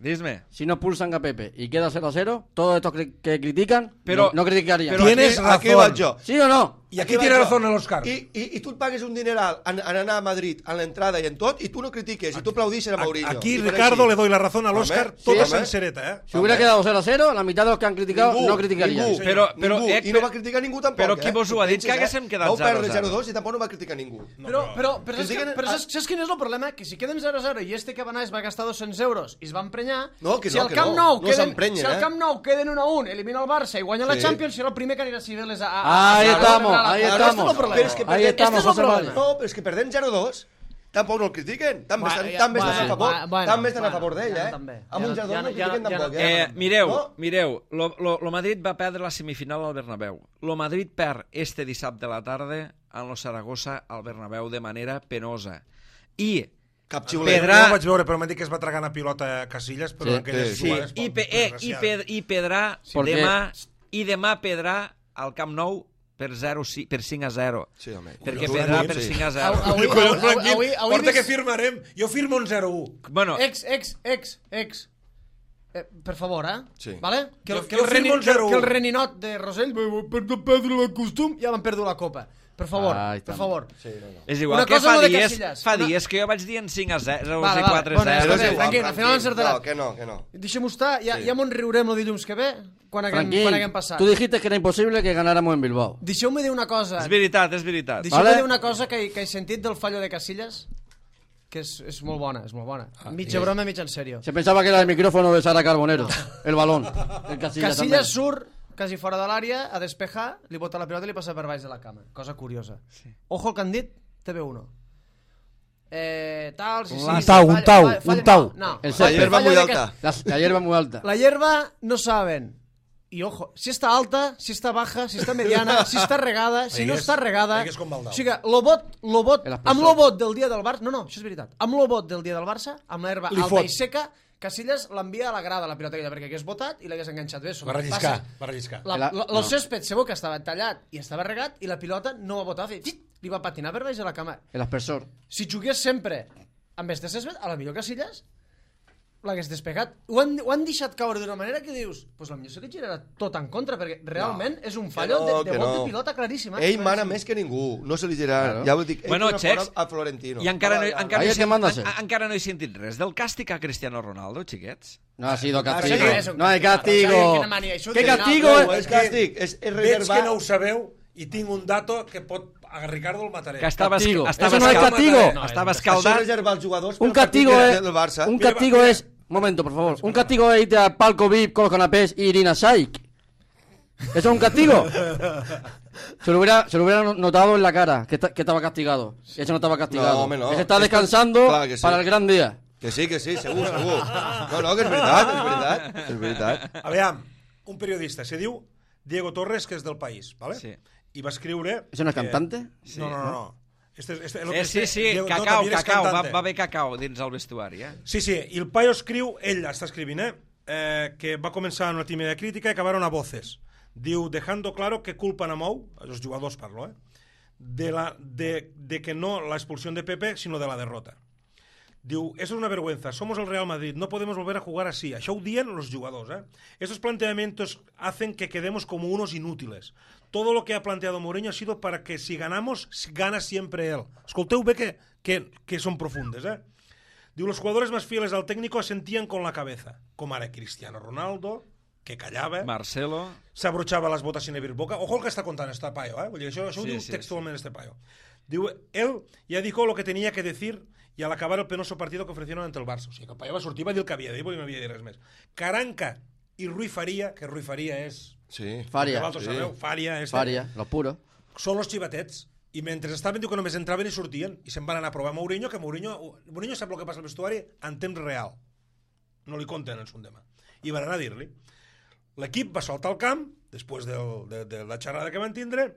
Dime. Si no pulsan a Pepe y queda 0-0, todos estos que critican no criticarían. Tienes razón. Aquí vaig jo. ¿Sí o no? I aquí tiene razón l'Òscar. I tu et pagues un dineral en anar a Madrid, en l'entrada i en tot, i tu no critiques, i tu aplaudixes a Mourinho. Aquí, Ricardo, le doy la razón a l'Òscar tota sencereta, ¿eh? Si hubiera quedado 0-0, la mitad de los que han criticado no criticarían. Ningú, i no va criticar ningú tampoc. Però qui vos ho ha dit que haguéssim quedat 0-0? Vau perdre 0-2 i tampoc no va criticar ningú. Però saps quin és el problema? Que si queden 0-0 i este que va anar es va gastar 200 euros i es va emprenyar, si al Camp Nou queden 1-1, elimina el Barça i guanya la Champions, serà el primer que anirà a Cibeles a... Ahí estamos. Ahí estamos, José Manuel. No, però és que perdent 0-2 tampoc no el critiquen. També estan a favor d'ell, Amb un 0-2 no el critiquen tampoc. Mireu, lo Madrid va perdre la semifinal al Bernabéu. Lo Madrid perd este dissabte a la tarda en lo Saragossa al Bernabéu de manera penosa. I cap xiulet. No ho vaig veure, però m'ha dit que es va tragar una pilota a Casillas, però aquelles jugades... I perdrà demà, i demà perdrà al Camp Nou per 5-0. Sí, home. Perquè perdrà per 5-0. Porta que firmarem. Jo firmo un 0-1. Bueno, per favor, Sí. ¿vale? Que firmo un 0-1. el reninot de Rosell per no perdre el costum ja van perdre la copa. Per favor, per favor. és igual que fa dies que jo vaig dir en 5-0 i 4-0. Tranquil, al final encertarà. Que no. Deixem-ho estar, ja m'ho riurem el dilluns que ve, quan haguem passat. Tú dijiste que era imposible que ganáramos en Bilbao. Deixeu-me dir una cosa. És veritat. Deixeu-me dir una cosa que he sentit del fallo de Casillas, que és molt bona, Mitja broma, mitja en serio. Se pensaba que era el micrófono de Sara Carbonero, el balón. El Casillas surt quasi fora de l'àrea a despejar, li bota la pilota i li passa per baix de la cama. Cosa curiosa. Ojo el que han dit, TV1. Un tau. No. La hierba muy alta. La hierba muy alta. La hierba no saben. Y ojo, si està alta, si està baja, si està mediana, si està regada, si no està regada... O sigui, amb l'obot del dia del Barça... No, això és veritat. Amb l'obot del dia del Barça, amb l'herba alta i seca, Casillas l'envia a la grada, la pilota aquella, perquè hagués botat i l'hagués enganxat bé. Va relliscar. El césped segur que estava tallat i estava regat i la pilota no va botar, li va patinar per baix de la cama. L'aspersor. Si jugués sempre amb este césped, a la millor Casillas l'hagués despegat. Ho han deixat caure d'una manera que dius, pues potser se li girarà tot en contra, perquè realment és un fallo de bot de pilota claríssim. Ell mana més que ningú, no se li girarà. Ja ho dic, ell Xecs, a Florentino. I encara no he sentit res del càstig a Cristiano Ronaldo, xiquets. No ha sido castigo. No hay castigo. ¿Qué castigo? És càstig, és veig que no ho sabeu i tinc un dato que pot... A Ricardo el mataré. Que estava Eso no es castigo. Estava escaldat. Un castigo es... Un momento, por favor. Un castigo es irte al palco VIP con los canapés y Irina Shayk. ¿Eso es un castigo? Se lo hubiera notado en la cara, que estaba castigado. Eso no estaba castigado. No. Ese está descansando para el gran día. Que sí, segur. No, que és veritat. Aviam, un periodista, se diu Diego Torres, que és del País, ¿vale? Sí. I va escriure... ¿Es una cantante? No. Sí, cacau, va haver cacau dins el vestuari, Sí, i el paio escriu, ell està escrivint, que va començar una tímida crítica i acabaron a voces. Diu, dejando claro que culpan a Mou, els jugadors parlo, de que no la expulsión de Pepe, sino de la derrota. Diu, eso es una vergüenza, somos el Real Madrid, no podemos volver a jugar así. Això ho dien los jugadors, Estos planteamientos hacen que quedemos como unos inútiles. Todo lo que ha planteado Mourinho ha sido para que si ganamos, gana siempre él. Escolteu bé que son profundes, Diu, los jugadores más fieles al técnico asentían con la cabeza, com ara Cristiano Ronaldo, que callava, Marcelo. s'abrochava les botas sin abrir boca. Ojo el que està contant este paio, Vull dir, això ho diu textualment este paio. Diu, él ya dijo lo que tenía que decir y al acabar el penoso partido que ofrecieron ante el Barça. O sigui, que el paio va sortir, va dir el que havia de dir, perquè no havia de dir res més. Caranca i Rui Faria, que Rui Faria és... Sí. Faria. Sabeu, Faria, Faria, lo puro. són los xivatets. I mentre estaven, diu que només entraven i sortien, i se'n van anar a provar Mourinho, que Mourinho sap el que passa al vestuari en temps real. No li conten en son demà. I van anar a dir-li. L'equip va saltar al camp, després de la xerrada que van tindre.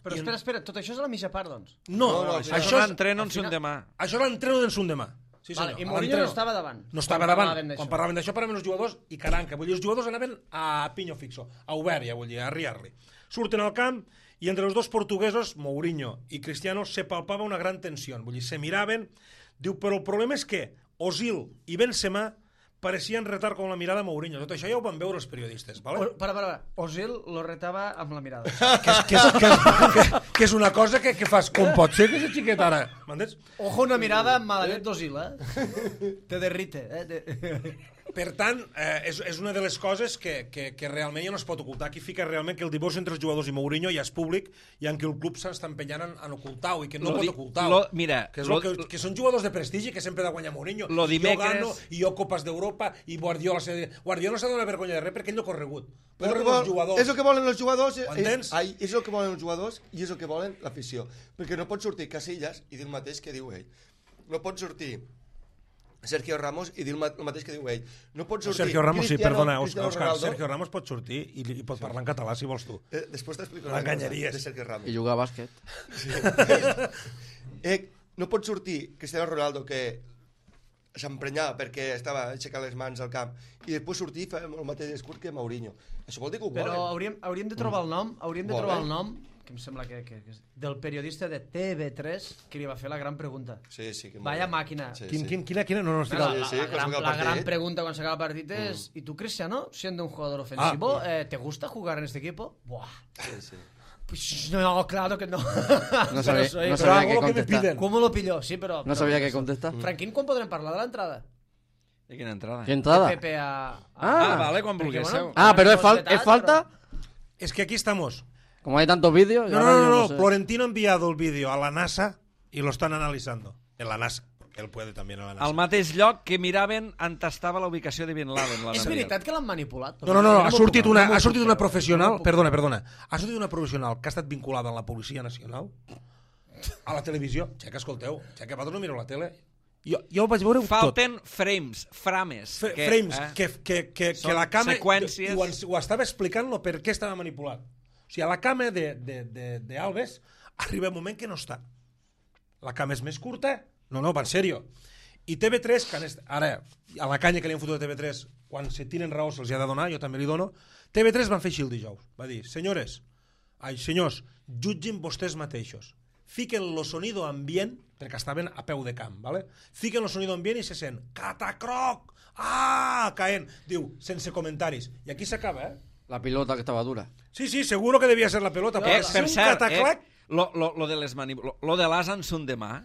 Però espera, tot això és a la mitja part, doncs? No, Això és l'entreno en son demà. Això és l'entreno d'en son demà. Sí, vale, I Mourinho no estava davant. No estava davant. Quan parlaven d'això, paraven els jugadors i caranca. Vull dir, els jugadors anaven a pinyo fixo, a obert, ja vull dir, a arriar-li. Surten al camp i entre els dos portuguesos, Mourinho i Cristiano, se palpava una gran tensió. Vull dir, se miraven. Diu, però el problema és que Ozil i Benzema parecien retar con la mirada a Mourinho. Tot això ja ho van veure els periodistes, ¿vale? Para. Ozil lo retava amb la mirada. que és una cosa que fas, com pot ser que és xiquet ara? M'entens? Ojo, una mirada amb maladet d'Ozil, Te derrite, Per tant, és una de les coses que realment ja no es pot ocultar. Aquí fica realment que el divorci entre els jugadors i Mourinho ja és públic i en què el club s'està empenyant en ocultar-ho i que no pot ocultar-ho. Mira, que són jugadors de prestigi que sempre ha de guanyar Mourinho. Jo gano, i jo Copes d'Europa, i Guardiola s'ha de donar vergonya de res perquè ell no ha corregut. És el que volen els jugadors, és el que volen els jugadors i és el que volen l'afició. Perquè no pot sortir Casillas i dir el mateix que diu ell. No pot sortir Sergio Ramos i dir el mateix que diu ell. No pot sortir Sergio Ramos, sí, perdona, Òscar, Ronaldo. Sergio Ramos pot sortir i pot parlar en català si vols tu. Després t'explico una cosa de Sergio Ramos. I jugar a bàsquet. No pot sortir Cristiano Ronaldo, que s'emprenyava perquè estava aixecant les mans al camp, i després sortir i fer el mateix discurs que Mourinho. Això vol dir que ho volen. Però hauríem de trobar el nom, que em sembla que del periodista de TV3 que li va fer la gran pregunta. Sí, que vaya màquina. Quina? No, la gran pregunta quan s'acaba el partit és ¿y tú, Cristiano, siendo un jugador ofensivo, te gusta jugar en este equipo? Buah. Sí. Pues no, claro que no. No sabía qué contestar. ¿Cómo lo pilló? Sí, pero... No sabía qué contestar. Franquín, quan podrem parlar de l'entrada? De quina entrada? ¿Qué entrada? Pepe vale, quan vulguéssiu. Pero es falta... Es que aquí estamos... Como hay tantos vídeos... No. Florentino ha enviado el vídeo a la NASA y lo están analizando. En la NASA. Él puede también a la NASA. Al mateix lloc que miraven on estava la ubicació de Bin Laden. És veritat que l'han manipulat? No. Ha sortit una professional... Perdona. Ha sortit una professional que ha estat vinculada a la Policia Nacional a la televisió. Que escolteu, que vosaltres no mireu la tele. Jo ho vaig veure tot. Falten frames. Que la cama... Seqüències. Ho estava explicant per què estava manipulat. O sigui, a la cama d'Alves arriba un moment que no està. La cama és més curta. No, va en sèrio. I TV3, que ara, a la canya que li han fotut a TV3, quan se tenen raó se'ls ha de donar, jo també li dono, TV3 van fer així el dijous. Va dir, senyors, jutgin vostès mateixos. Fiquen lo sonido ambient, perquè estaven a peu de camp, ¿vale? Fiquen lo sonido ambient i se sent catacroc, caent. Diu, sense comentaris. I aquí s'acaba, La pilota que estava dura. Sí, seguro que devia ser la pelota. Per cert, lo de l'as en son demà,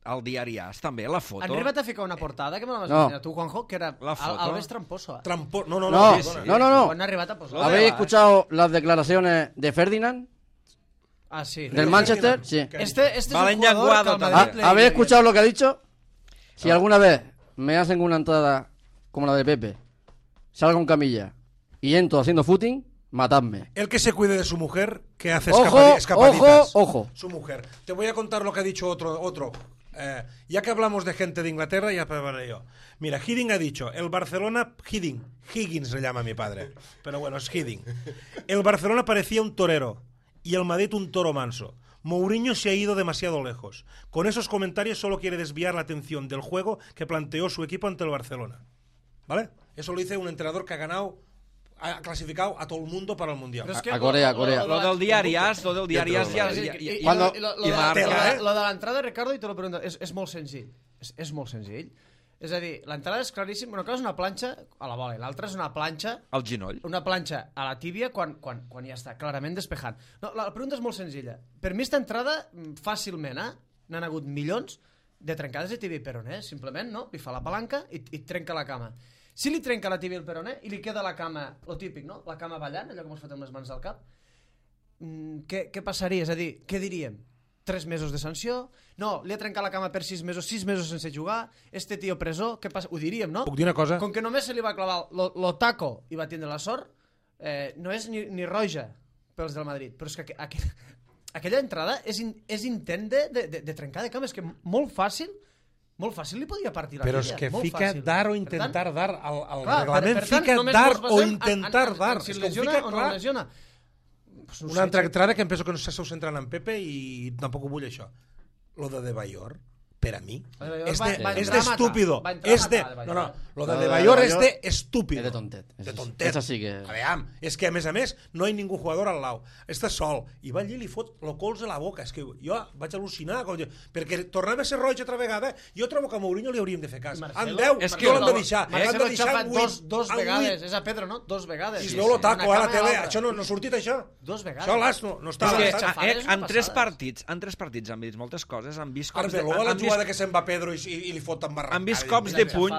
al diari AS, també, la foto. Han arribat a ficar una portada que me la vas ensenyar tu, Juanjo, que era Alves tramposo. No. Han arribat a posar. ¿Habéis escuchado las declaraciones de Ferdinand? Ah, sí. ¿Del Manchester? Sí. Este es un jugador que al Madrid le... ¿Habéis escuchado lo que ha dicho? Si alguna vez me hacen una entrada como la de Pepe, salgo en camilla y entro haciendo footing, matadme. El que se cuide de su mujer, que hace escapaditas. Ojo. Su mujer. Te voy a contar lo que ha dicho otro. Ya que hablamos de gente de Inglaterra, ya para yo. Mira, Hiddink ha dicho, el Barcelona... Higgins se llama mi padre, pero bueno, es Hiddink. El Barcelona parecía un torero y el Madrid un toro manso. Mourinho se ha ido demasiado lejos. Con esos comentarios solo quiere desviar la atención del juego que planteó su equipo ante el Barcelona. ¿Vale? Eso lo dice un entrenador que ha ganado ha clasificado a todo el mundo para el Mundial. A Corea. Lo del diari As, lo de l'entrada, Ricardo, i te lo pregunto, és molt senzill. És molt senzill. És a dir, l'entrada és claríssim. Una cosa és una planxa a la bola, l'altra és una planxa... Al genoll. Una planxa a la tíbia quan ja està clarament despejant. No, la pregunta és molt senzilla. Per mi, esta entrada, fàcilment, n'han hagut milions de trencades de tíbia i peroné. Simplement, no? Li fa la palanca i trenca la cama. Si li trenca la tíbia i el peroné i li queda la cama, lo típic, no? La cama ballant, allò que mos fotem les mans al cap, què passaria? És a dir, què diríem? 3 mesos de sanció? No, li ha trencat la cama per 6 mesos sense jugar, este tio presó, què passa? Ho diríem, no? Puc dir una cosa? Com que només se li va clavar lo taco i va tindre la sort, no és ni roja pels del Madrid, però és que aquella entrada és intent de trencar de cama, és que molt fàcil li podia partir la Però tibia. és que molt fica fàcil. dar o intentar dar, el Clar, reglament per tant, fica només dar mos basem o intentar dar. Si És que ho lesiona fica o no clar. lesiona. Pues no Una sé, altra entrada que em penso que no s'està centrant en Pepe i tampoc ho vull això. Lo de Bayor, per a mi, és d'estúpido. No, lo de Bayor és d'estúpido. És de tontet. De tontet. Esa sí que... Aviam, és que a més no hi ha ningú jugador al lau. Està sol. I va allí i li fot lo cols a la boca. És que jo vaig al·lucinar. Perquè tornava a ser roig altra vegada. Jo trobo que a Mourinho li hauríem de fer cas. En 10, no l'han de deixar. Marcelo ha xafat dos vegades. És a Pedro, no? 2 vegades. I es veu lo taco a la tele. Això no ha sortit, això. 2 vegades. Això l'as no està. En 3 partits han vist moltes coses, han vist cops de... Arbeloa la jugada que se'n va Pedro i li fot embarracada. Han vist cops de puny...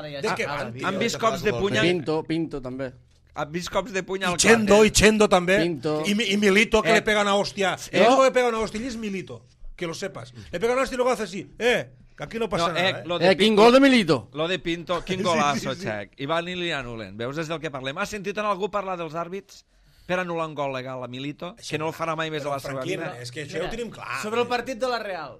Han vist cops de puny... Pinto també. Han vist cops de puny al I Chendo també. Pinto. I Milito, que le pega una hostia. El único que pega una hostia es Milito. Que lo sepas. Le pega una hostia y luego hace así. Que aquí no passa nada. Quin gol de Milito. Lo de Pinto, quin golazo, Xec. I van i li anulen. Veus, és del que parlem. Has sentit en algú parlar dels àrbits per anul·lar un gol legal a Milito, que no el farà mai més a la seva vida? És que això ho tenim clar. Sobre el partit de la Real,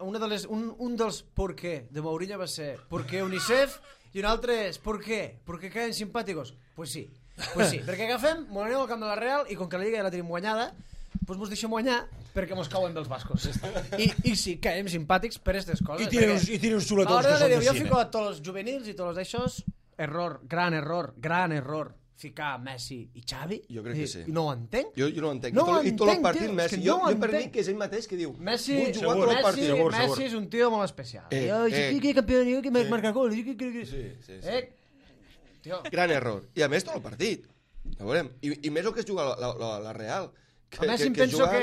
un dels por qué de Mourinho va ser por qué UNICEF i un altre és por qué caen simpàticos. Pues sí, perquè agafem, mos anem al camp de la Real i com que la Lliga ja la tenim guanyada, doncs mos deixem guanyar perquè mos cauen dels bascos. I sí, caiem simpàtics per aquestes coses. I tiene uns xuletons que són de jo cine. fico a tots els juvenils i tots els d'aixòs, gran error ficar Messi i Xavi. Jo crec que sí. I no ho entenc. Jo no ho entenc. I tot el partit Messi. Jo per mi que és ell mateix que diu Messi és un tio molt especial. Jo que campió, jo que marca gol. Sí. Gran error. I a més tot el partit. Ja veurem. I més el que es juga la Real. A més, em penso que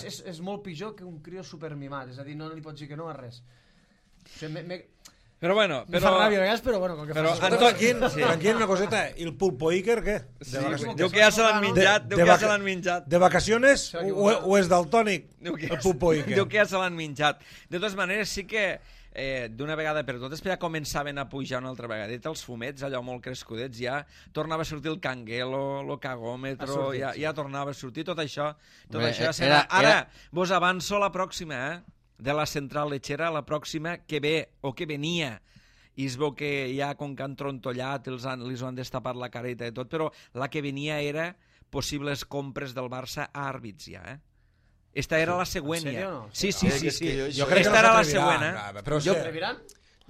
és molt pitjor que un crio supermimat. És a dir, no li pots dir que no a res. Però bueno... Me fa ràbia a vegades, però bueno, com que fa... Tranquil, una coseta. I el Pulpo Iker, què? Diu que ja se l'han menjat. De vacaciones o és daltònic, el Pulpo Iker? Diu que ja se l'han menjat. De totes maneres, sí que d'una vegada per totes, ja començaven a pujar una altra vegadeta, els fumets, allò molt crescudets, ja tornava a sortir el canguelo, el cagòmetro, ja tornava a sortir tot això. Ara, vos avanço la pròxima, de la central lechera, la pròxima que ve o que venia, i es veu que ja com que han trontollat els ho han destapat la careta i tot, però la que venia era possibles compres del Barça a àrbits ja, Esta era la següent ja. Sí. Jo crec que era la següent, Però s'atreviran?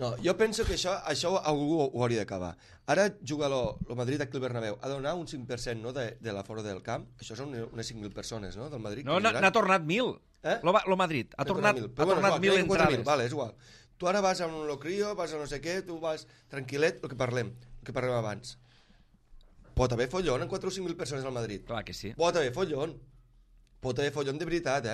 No, jo penso que això algú ho hauria d'acabar. Ara juga el Madrid aquí al Bernabéu. Ha de donar un 5% no, de l'aforo del camp. Això són unes 5.000 persones, no?, del Madrid. No, n'ha tornat 1.000. Lo Madrid. Ha tornat 1.000 entrades. Vale, és igual. Tu ara vas a un locrio, vas a no sé què, tu vas tranquil·let, el que parlem abans. Pot haver follon en 4 o 5.000 persones al Madrid. Clar que sí. Pot haver follon de veritat,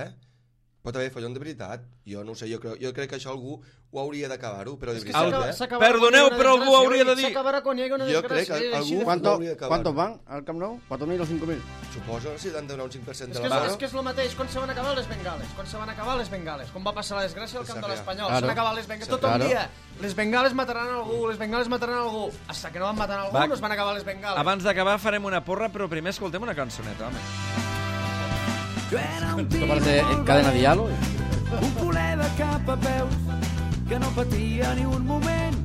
Pot haver follon de veritat. Jo no ho sé, jo crec que això algú ho hauria d'acabar-ho, però de veritat, Perdoneu, però algú ho hauria de dir. S'acabarà quan hi hagi una desgràcia. Jo crec que algú ho hauria d'acabar. ¿Cuántos van al Camp Nou? ¿4.000 o 5.000? Suposo, si han de donar un 5% de la mano. És que és el mateix, quan se van acabar les bengales, com va passar la desgràcia al camp de l'Espanyol, se van acabar les bengales, tot un dia, les bengales mataran algú, hasta que no van matar algú, no es van acabar les bengales. Abans d'acabar farem una porra, però primer escoltem una cançoneta, home. Esto parece cadena de hielo. Un culer de cap a peus que no patia ni un moment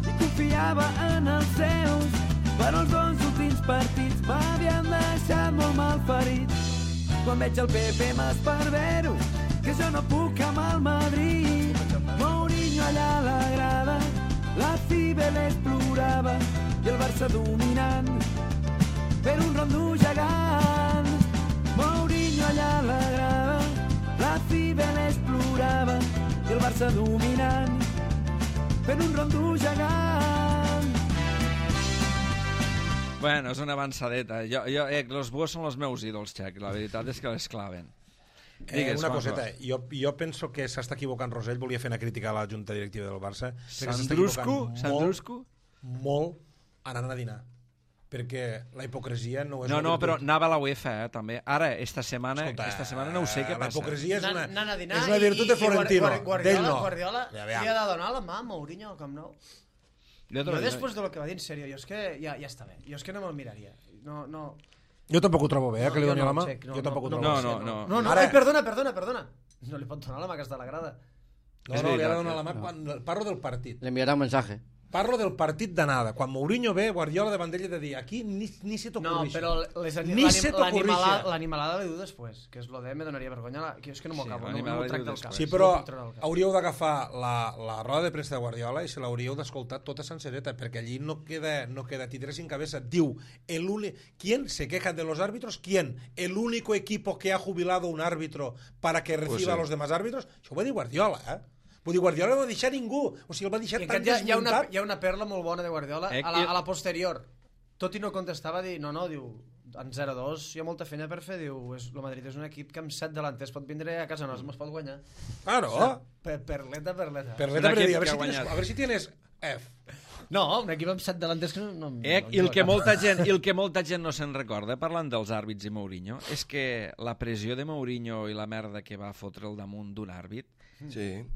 i confiava en els seus, però els 2 últims partits m'havien deixat molt mal ferit. Quan veig el Pepe m'esparvero que jo no puc amb el Madrid. Mourinho allà a la grada, la Cibeles plorava i el Barça dominant per un rondo gegant. Mourinho allà a la grava, la Cibel explorava i el Barça dominant per un rondo gegant. Bueno, és una avançadeta. Els Buos són els meus ídols, Xec. La veritat és que les claven. Digues, una coseta, jo penso que s'està equivocant Rosell, volia fer una crítica a la junta directiva del Barça. Sandrusco? Molt anant a dinar. Perquè la hipocresia no és... No, però anava a la UEFA, també. Ara, esta setmana no ho sé què passa. La hipocresia és una virtut de Florentino. Guardiola li ha de donar la mà a Mourinho al Camp Nou. Jo després del que va dir, en sèrio, jo és que ja està bé. Jo és que no me'l miraria. No... Jo tampoc ho trobo bé, que li doni la mà. Jo tampoc ho trobo bé. No. Ai, perdona. No li pot donar la mà, que està a la grada. No, li ha de donar la mà quan parlo del partit. Le enviarà un mensaje. Parlo del partit d'anada. Quan Mourinho ve, Guardiola davant d'ell de dir aquí ni se t'ocorrixi. No, però l'animalada li diu després, que és lo de me donaria vergonya. Que jo és que no m'ho acabo, no m'ho tracta el cap. Sí, però hauríeu d'agafar la roda de premsa de Guardiola i se l'hauríeu d'escoltar tota sencereta, perquè allí no queda titera sin cabeza. Diu, ¿quién se queja de los árbitros? ¿Quién? ¿El único equipo que ha jubilado un árbitro para que reciba a los demás árbitros? Això ho va dir Guardiola, Vull dir, Guardiola no va deixar ningú. O sigui, el va deixar tan desmuntat. Hi ha una perla molt bona de Guardiola a la posterior. Tot i no contestava, diu, diu, en 0-2 hi ha molta feina per fer, diu, el Madrid és un equip que amb 7 delanters pot vindre a casa nostra, es pot guanyar. Claro. Perleta. Perleta, a ver si tienes F. No, un equip amb 7 delanters que no... I el que molta gent no se'n recorda, parlant dels àrbits i Mourinho, és que la pressió de Mourinho i la merda que va fotre al damunt d'un àrbit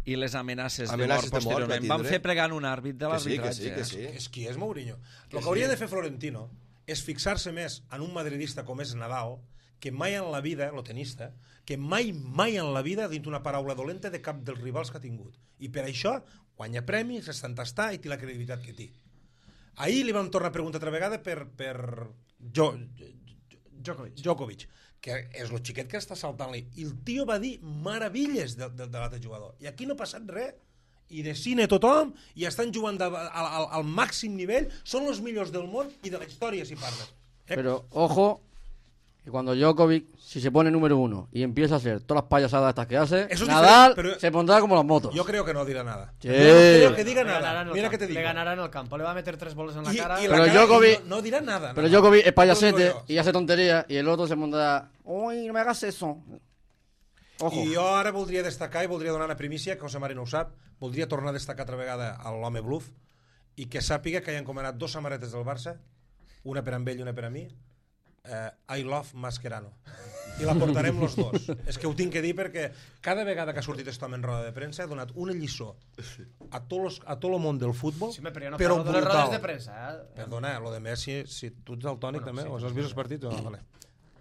i les amenaces de mort posteriorment van fer pregant un àrbit de l'arbitratge. Que sí. És qui és Mourinho. El que hauria de fer Florentino és fixar-se més en un madridista com és Nadal, que mai en la vida, lo tenista, que mai en la vida ha dit una paraula dolenta de cap dels rivals que ha tingut. I per això guanya premis, està entastat i té la credibilitat que té. Ahir li vam tornar a preguntar altra vegada per Djokovic, que és el xiquet que està saltant-li. I el tio va dir meravilles de l'altre jugador. I aquí no ha passat res. I de cine tothom, i estan jugant al màxim nivell, són els millors del món i de la història, si parles. Pero, ojo, que cuando Djokovic, si se pone número 1 y empieza a hacer todas las payasadas estas que hace, Nadal se pondrá como las motos. Yo creo que no dirá nada. Sí. Yo no creo que diga nada. Mira que te digo. Le ganará en el campo, le va a meter 3 bolas en la cara. Pero Djokovic no dirá nada. Pero Djokovic es payasete y hace tonterías y el otro se pondrá, uy, no me hagas eso. Ojo. I jo ara voldria destacar i voldria donar una primícia, que José Mari no ho sap, voldria tornar a destacar altra vegada a l'home bluff i que sàpiga que hi ha encomanat 2 samarretes del Barça, una per a ell i una per a mi, I love Mascherano, i la portarem los dos. És que ho tinc que dir perquè cada vegada que ha sortit aquest home en roda de premsa ha donat una lliçó a tot el món del futbol, sí, però no de les rodes de premsa. Perdona, lo de Messi, si tu ets daltònic també, o has vist els partits? Vale.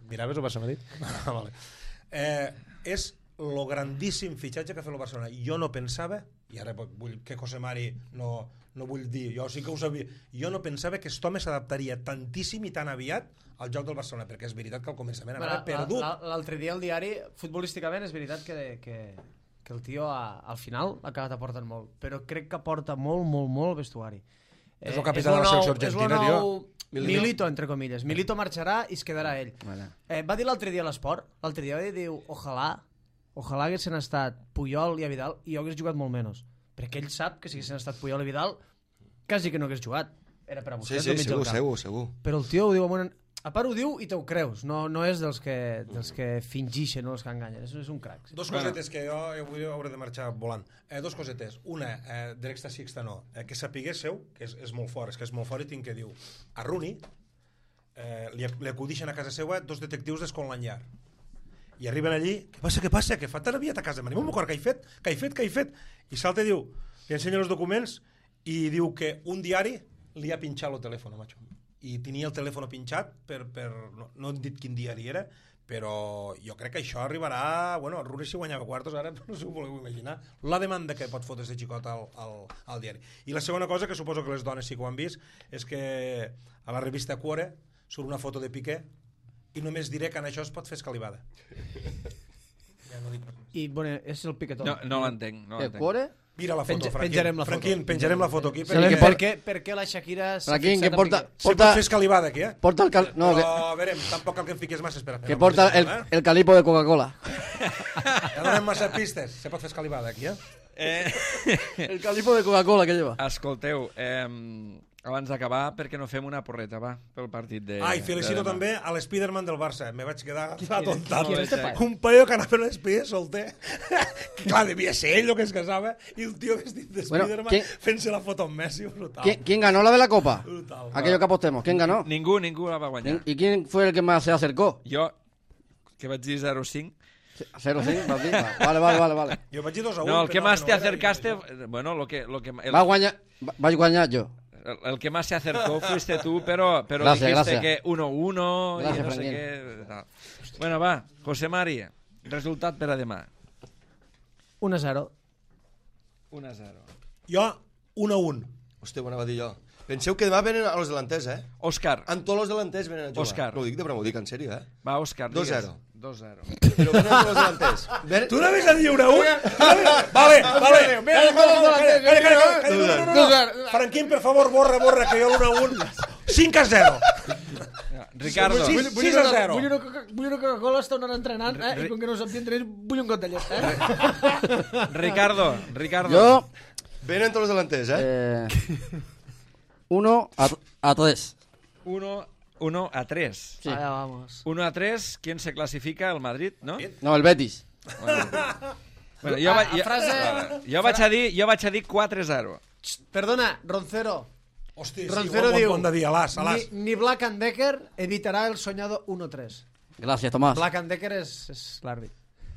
Miraves o Barça Madrid? Vale. És lo grandíssim fitxatge que ha fet el Barcelona. Jo no pensava, i ara vull que José Mari no vull dir, jo sí que ho sabia, jo no pensava que aquest home s'adaptaria tantíssim i tan aviat al joc del Barcelona, perquè és veritat que al començament anava perdut. L'altre dia al diari, futbolísticament, és veritat que el tio al final ha acabat aportant molt, però crec que aporta molt vestuari. És el capità de la selecció argentina, tio. Milito, entre comilles. Milito marxarà i es quedarà ell. Va dir l'altre dia a l'Esport, l'altre dia va dir, ojalà haguessin estat Puyol i Vidal i jo hagués jugat molt menys. Perquè ell sap que si haguessin estat Puyol i Vidal quasi que no hagués jugat. Era per a Busquets al mig del camp. Segur. Però el tio ho diu a part ho diu i t'ho creus. No és dels que fingixen o els que enganyen. És un crac. Dos cosetes que jo avui hauré de marxar volant. Dos cosetes. Una, de l'èxtasi extanó, que sapiguéssiu, que és molt fort, és molt i tinc que dir a Rooney li acudixen a casa seva 2 detectius d'Scotland Yard. I arriben allí, què passa? Que fa tan aviat a casa, m'anem a mocar, què he fet? I salta i diu, li ensenya els documents i diu que un diari li ha pinxat el telèfon, macho. I tenia el telèfon pinxat no hem dit quin diari era, però jo crec que això arribarà, bueno, el Rooney si guanyava quartos ara, no si ho voleu imaginar, la demanda que pot fotre este xicot al diari. I la segona cosa, que suposo que les dones sí que ho han vist, és que a la revista Cuore surt una foto de Piqué i només diré que en això es pot fer escalivada. Ja no dic res. I, bueno, és el Piquetón. No l'entenc. ¿El Cuore? Mira la foto, Penjarem la foto. Franquín, penjarem la foto aquí. Per què la Shakira s'ha Franquín, fixat que porta... Se pot fer escalivada aquí, Porta el No, a veure, tampoc cal que em fiques massa, espera. que porta el calipo de Coca-Cola. Ja donem massa pistes. Se pot fer escalivada aquí, El calipo de Coca-Cola que lleva. Escolteu, abans d'acabar, per què no fem una porreta, va, pel partit de... I felicito de demà. també a l'Spiderman del Barça. Me vaig quedar atontat. Qui és este paio? Un paio que anava en l'Spider solter. Clar, devia ser ell el que es casava. I un tio vestit de Spiderman fent-se la foto amb Messi. Brutal. ¿Quién ganó la de la Copa? Brutal. Aquello que apostemos. ¿Quién ganó? Ningú la va guanyar. ¿Y quién fue el que más se acercó? Jo, que vaig dir 0-5. 0-5, vas dir? Vale. Jo vaig dir 2-1. No, el que más te no era, acercaste... i Bueno, Vaig guanyar jo. el que más se acercó fuiste tú, pero Gracias, dijiste gracias. que 1-1 Gracias, y no sé Franquín. qué... tal. Bueno, va, José Mari, resultat per a demà. 1-0. 1-0. Jo, 1-1. Hòstia, ho anava a dir jo. Penseu que demà venen a los delanters, Òscar. En tots els delanters venen a jugar. Òscar. No ho dic de broma, ho dic en sèrio, Va, Òscar, 2-0. digues. 2-0. Però venen tots els delanters. Tu anaves a dir 1-1? Vale. Calla. Franquín, per favor, borra, que jo l'1-1. 5-0. Ricardo. 6-0. Vull una Coca-Cola, està una hora entrenant, i com que no sap entrenant, vull un got de llet, Ricardo. Jo... Venen tots els delanters, 1-3. 1-3. Sí. Allá vamos. 1-3, ¿quién se clasifica? El Madrid, no? No, el Betis. Bueno, jo vaig a dir 4-0. Perdona, Roncero. Hosti, Roncero sí, diu, bon de dir, a l'as. ni Black and Decker evitarà el soñado 1-3. Gràcies, Tomàs. Black and Decker és l'àrbit.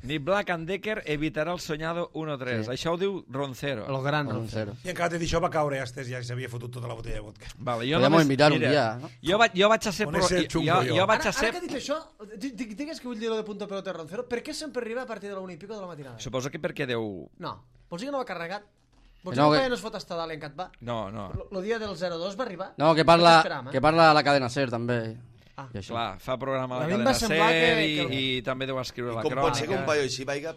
Ni Black and Decker evitarà el soñado 1-3. Sí. Això ho diu Roncero. El gran Un Roncero. 0. I encara de dir això va caure, ja s'havia fotut tota la botella de vodka. Vale, Podríamos invitar un dia, no? Jo vaig a ser... On és el xungo, jo? Jo vaig a Ara ser... que ha dit això, digues que vull dir lo de punto pelota de Roncero, per què sempre arriba a partir de la 1 i pico de la matinada? Suposo que perquè deu... No. Vols dir que no va carregat? Vols dir No, que que- no es fot hasta dalt en Catbà? No. El dia del 0-2 va arribar? No, que parla a la cadena SER, també. Ah. I això. Clar, fa programa a la A mi em va cadena semblar SER que- i també deu escriure la Com pot ser que un crònica. paio així vaiga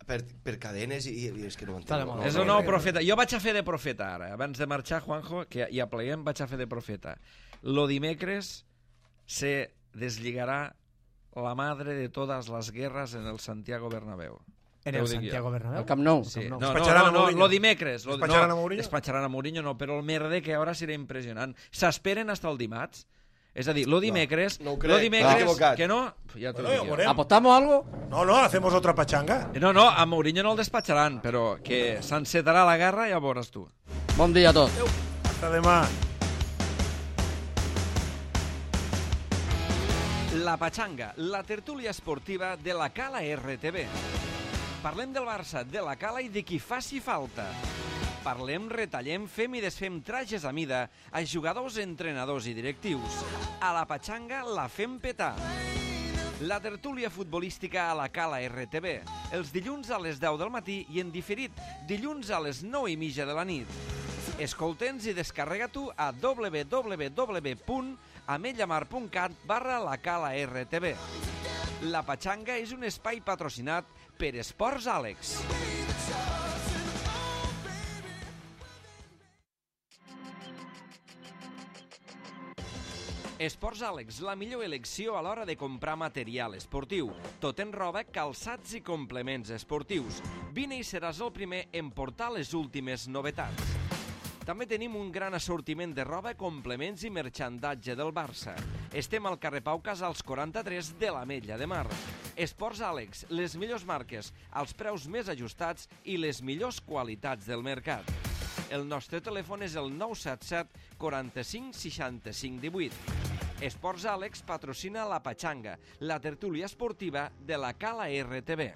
per cadenes i és que no ho Està de entenc. moda. És el nou profeta. Jo vaig a fer de profeta ara. Abans de marxar, Juanjo, que ja pleguem, vaig a fer de profeta. Lo dimecres se desligarà la madre de todas las guerras en el Santiago Bernabéu. En Te el ho dic jo. Santiago Bernabéu? El Camp Nou. Sí. Nou. No, Despatxaran a no, Mourinho. lo dimecres. Despatxaran a Mourinho? Despatxaran a Mourinho no, però el merder que ara serà impressionant. S'esperen hasta el dimarts. És a dir, lo dimecres... no ho crec. Lo dimecres... T'has equivocat. Que no? Ja t'ho Bueno, dic ja ho jo. veurem. ¿Apostamos algo? No, hacemos otra pachanga. No, a Mourinho no el despatxaran, però que s'encetarà la guerra ja ho veuràs tu. Bon dia a tots. Hasta demà. La Pachanga, la tertúlia esportiva de la Cala RTV. Parlem del Barça, de la Cala i de qui faci falta. Parlem, retallem, fem i desfem trajes a mida a jugadors, entrenadors i directius. A la Pachanga la fem petar. La tertúlia futbolística a la Cala RTV, els dilluns a les 10 del matí i en diferit, dilluns a les 9:30 de la nit. Escolta'ns i descarrega-t'ho a www.ametlllamar.cat/la Cala RTV. La Pachanga és un espai patrocinat per Esports Àlex. Esports Àlex, la millor elecció a l'hora de comprar material esportiu. Tot en roba, calçats i complements esportius. Vine i seràs el primer en portar les últimes novetats. També tenim un gran assortiment de roba, complements i merchandatge del Barça. Estem al carrer Pau Casals 43 de l'Ametlla de Mar. Esports Àlex, les millors marques, els preus més ajustats i les millors qualitats del mercat. El nostre telèfon és el 977 45 65 18. Esports Àlex patrocina la Pachanga, la tertúlia esportiva de la Cala RTV.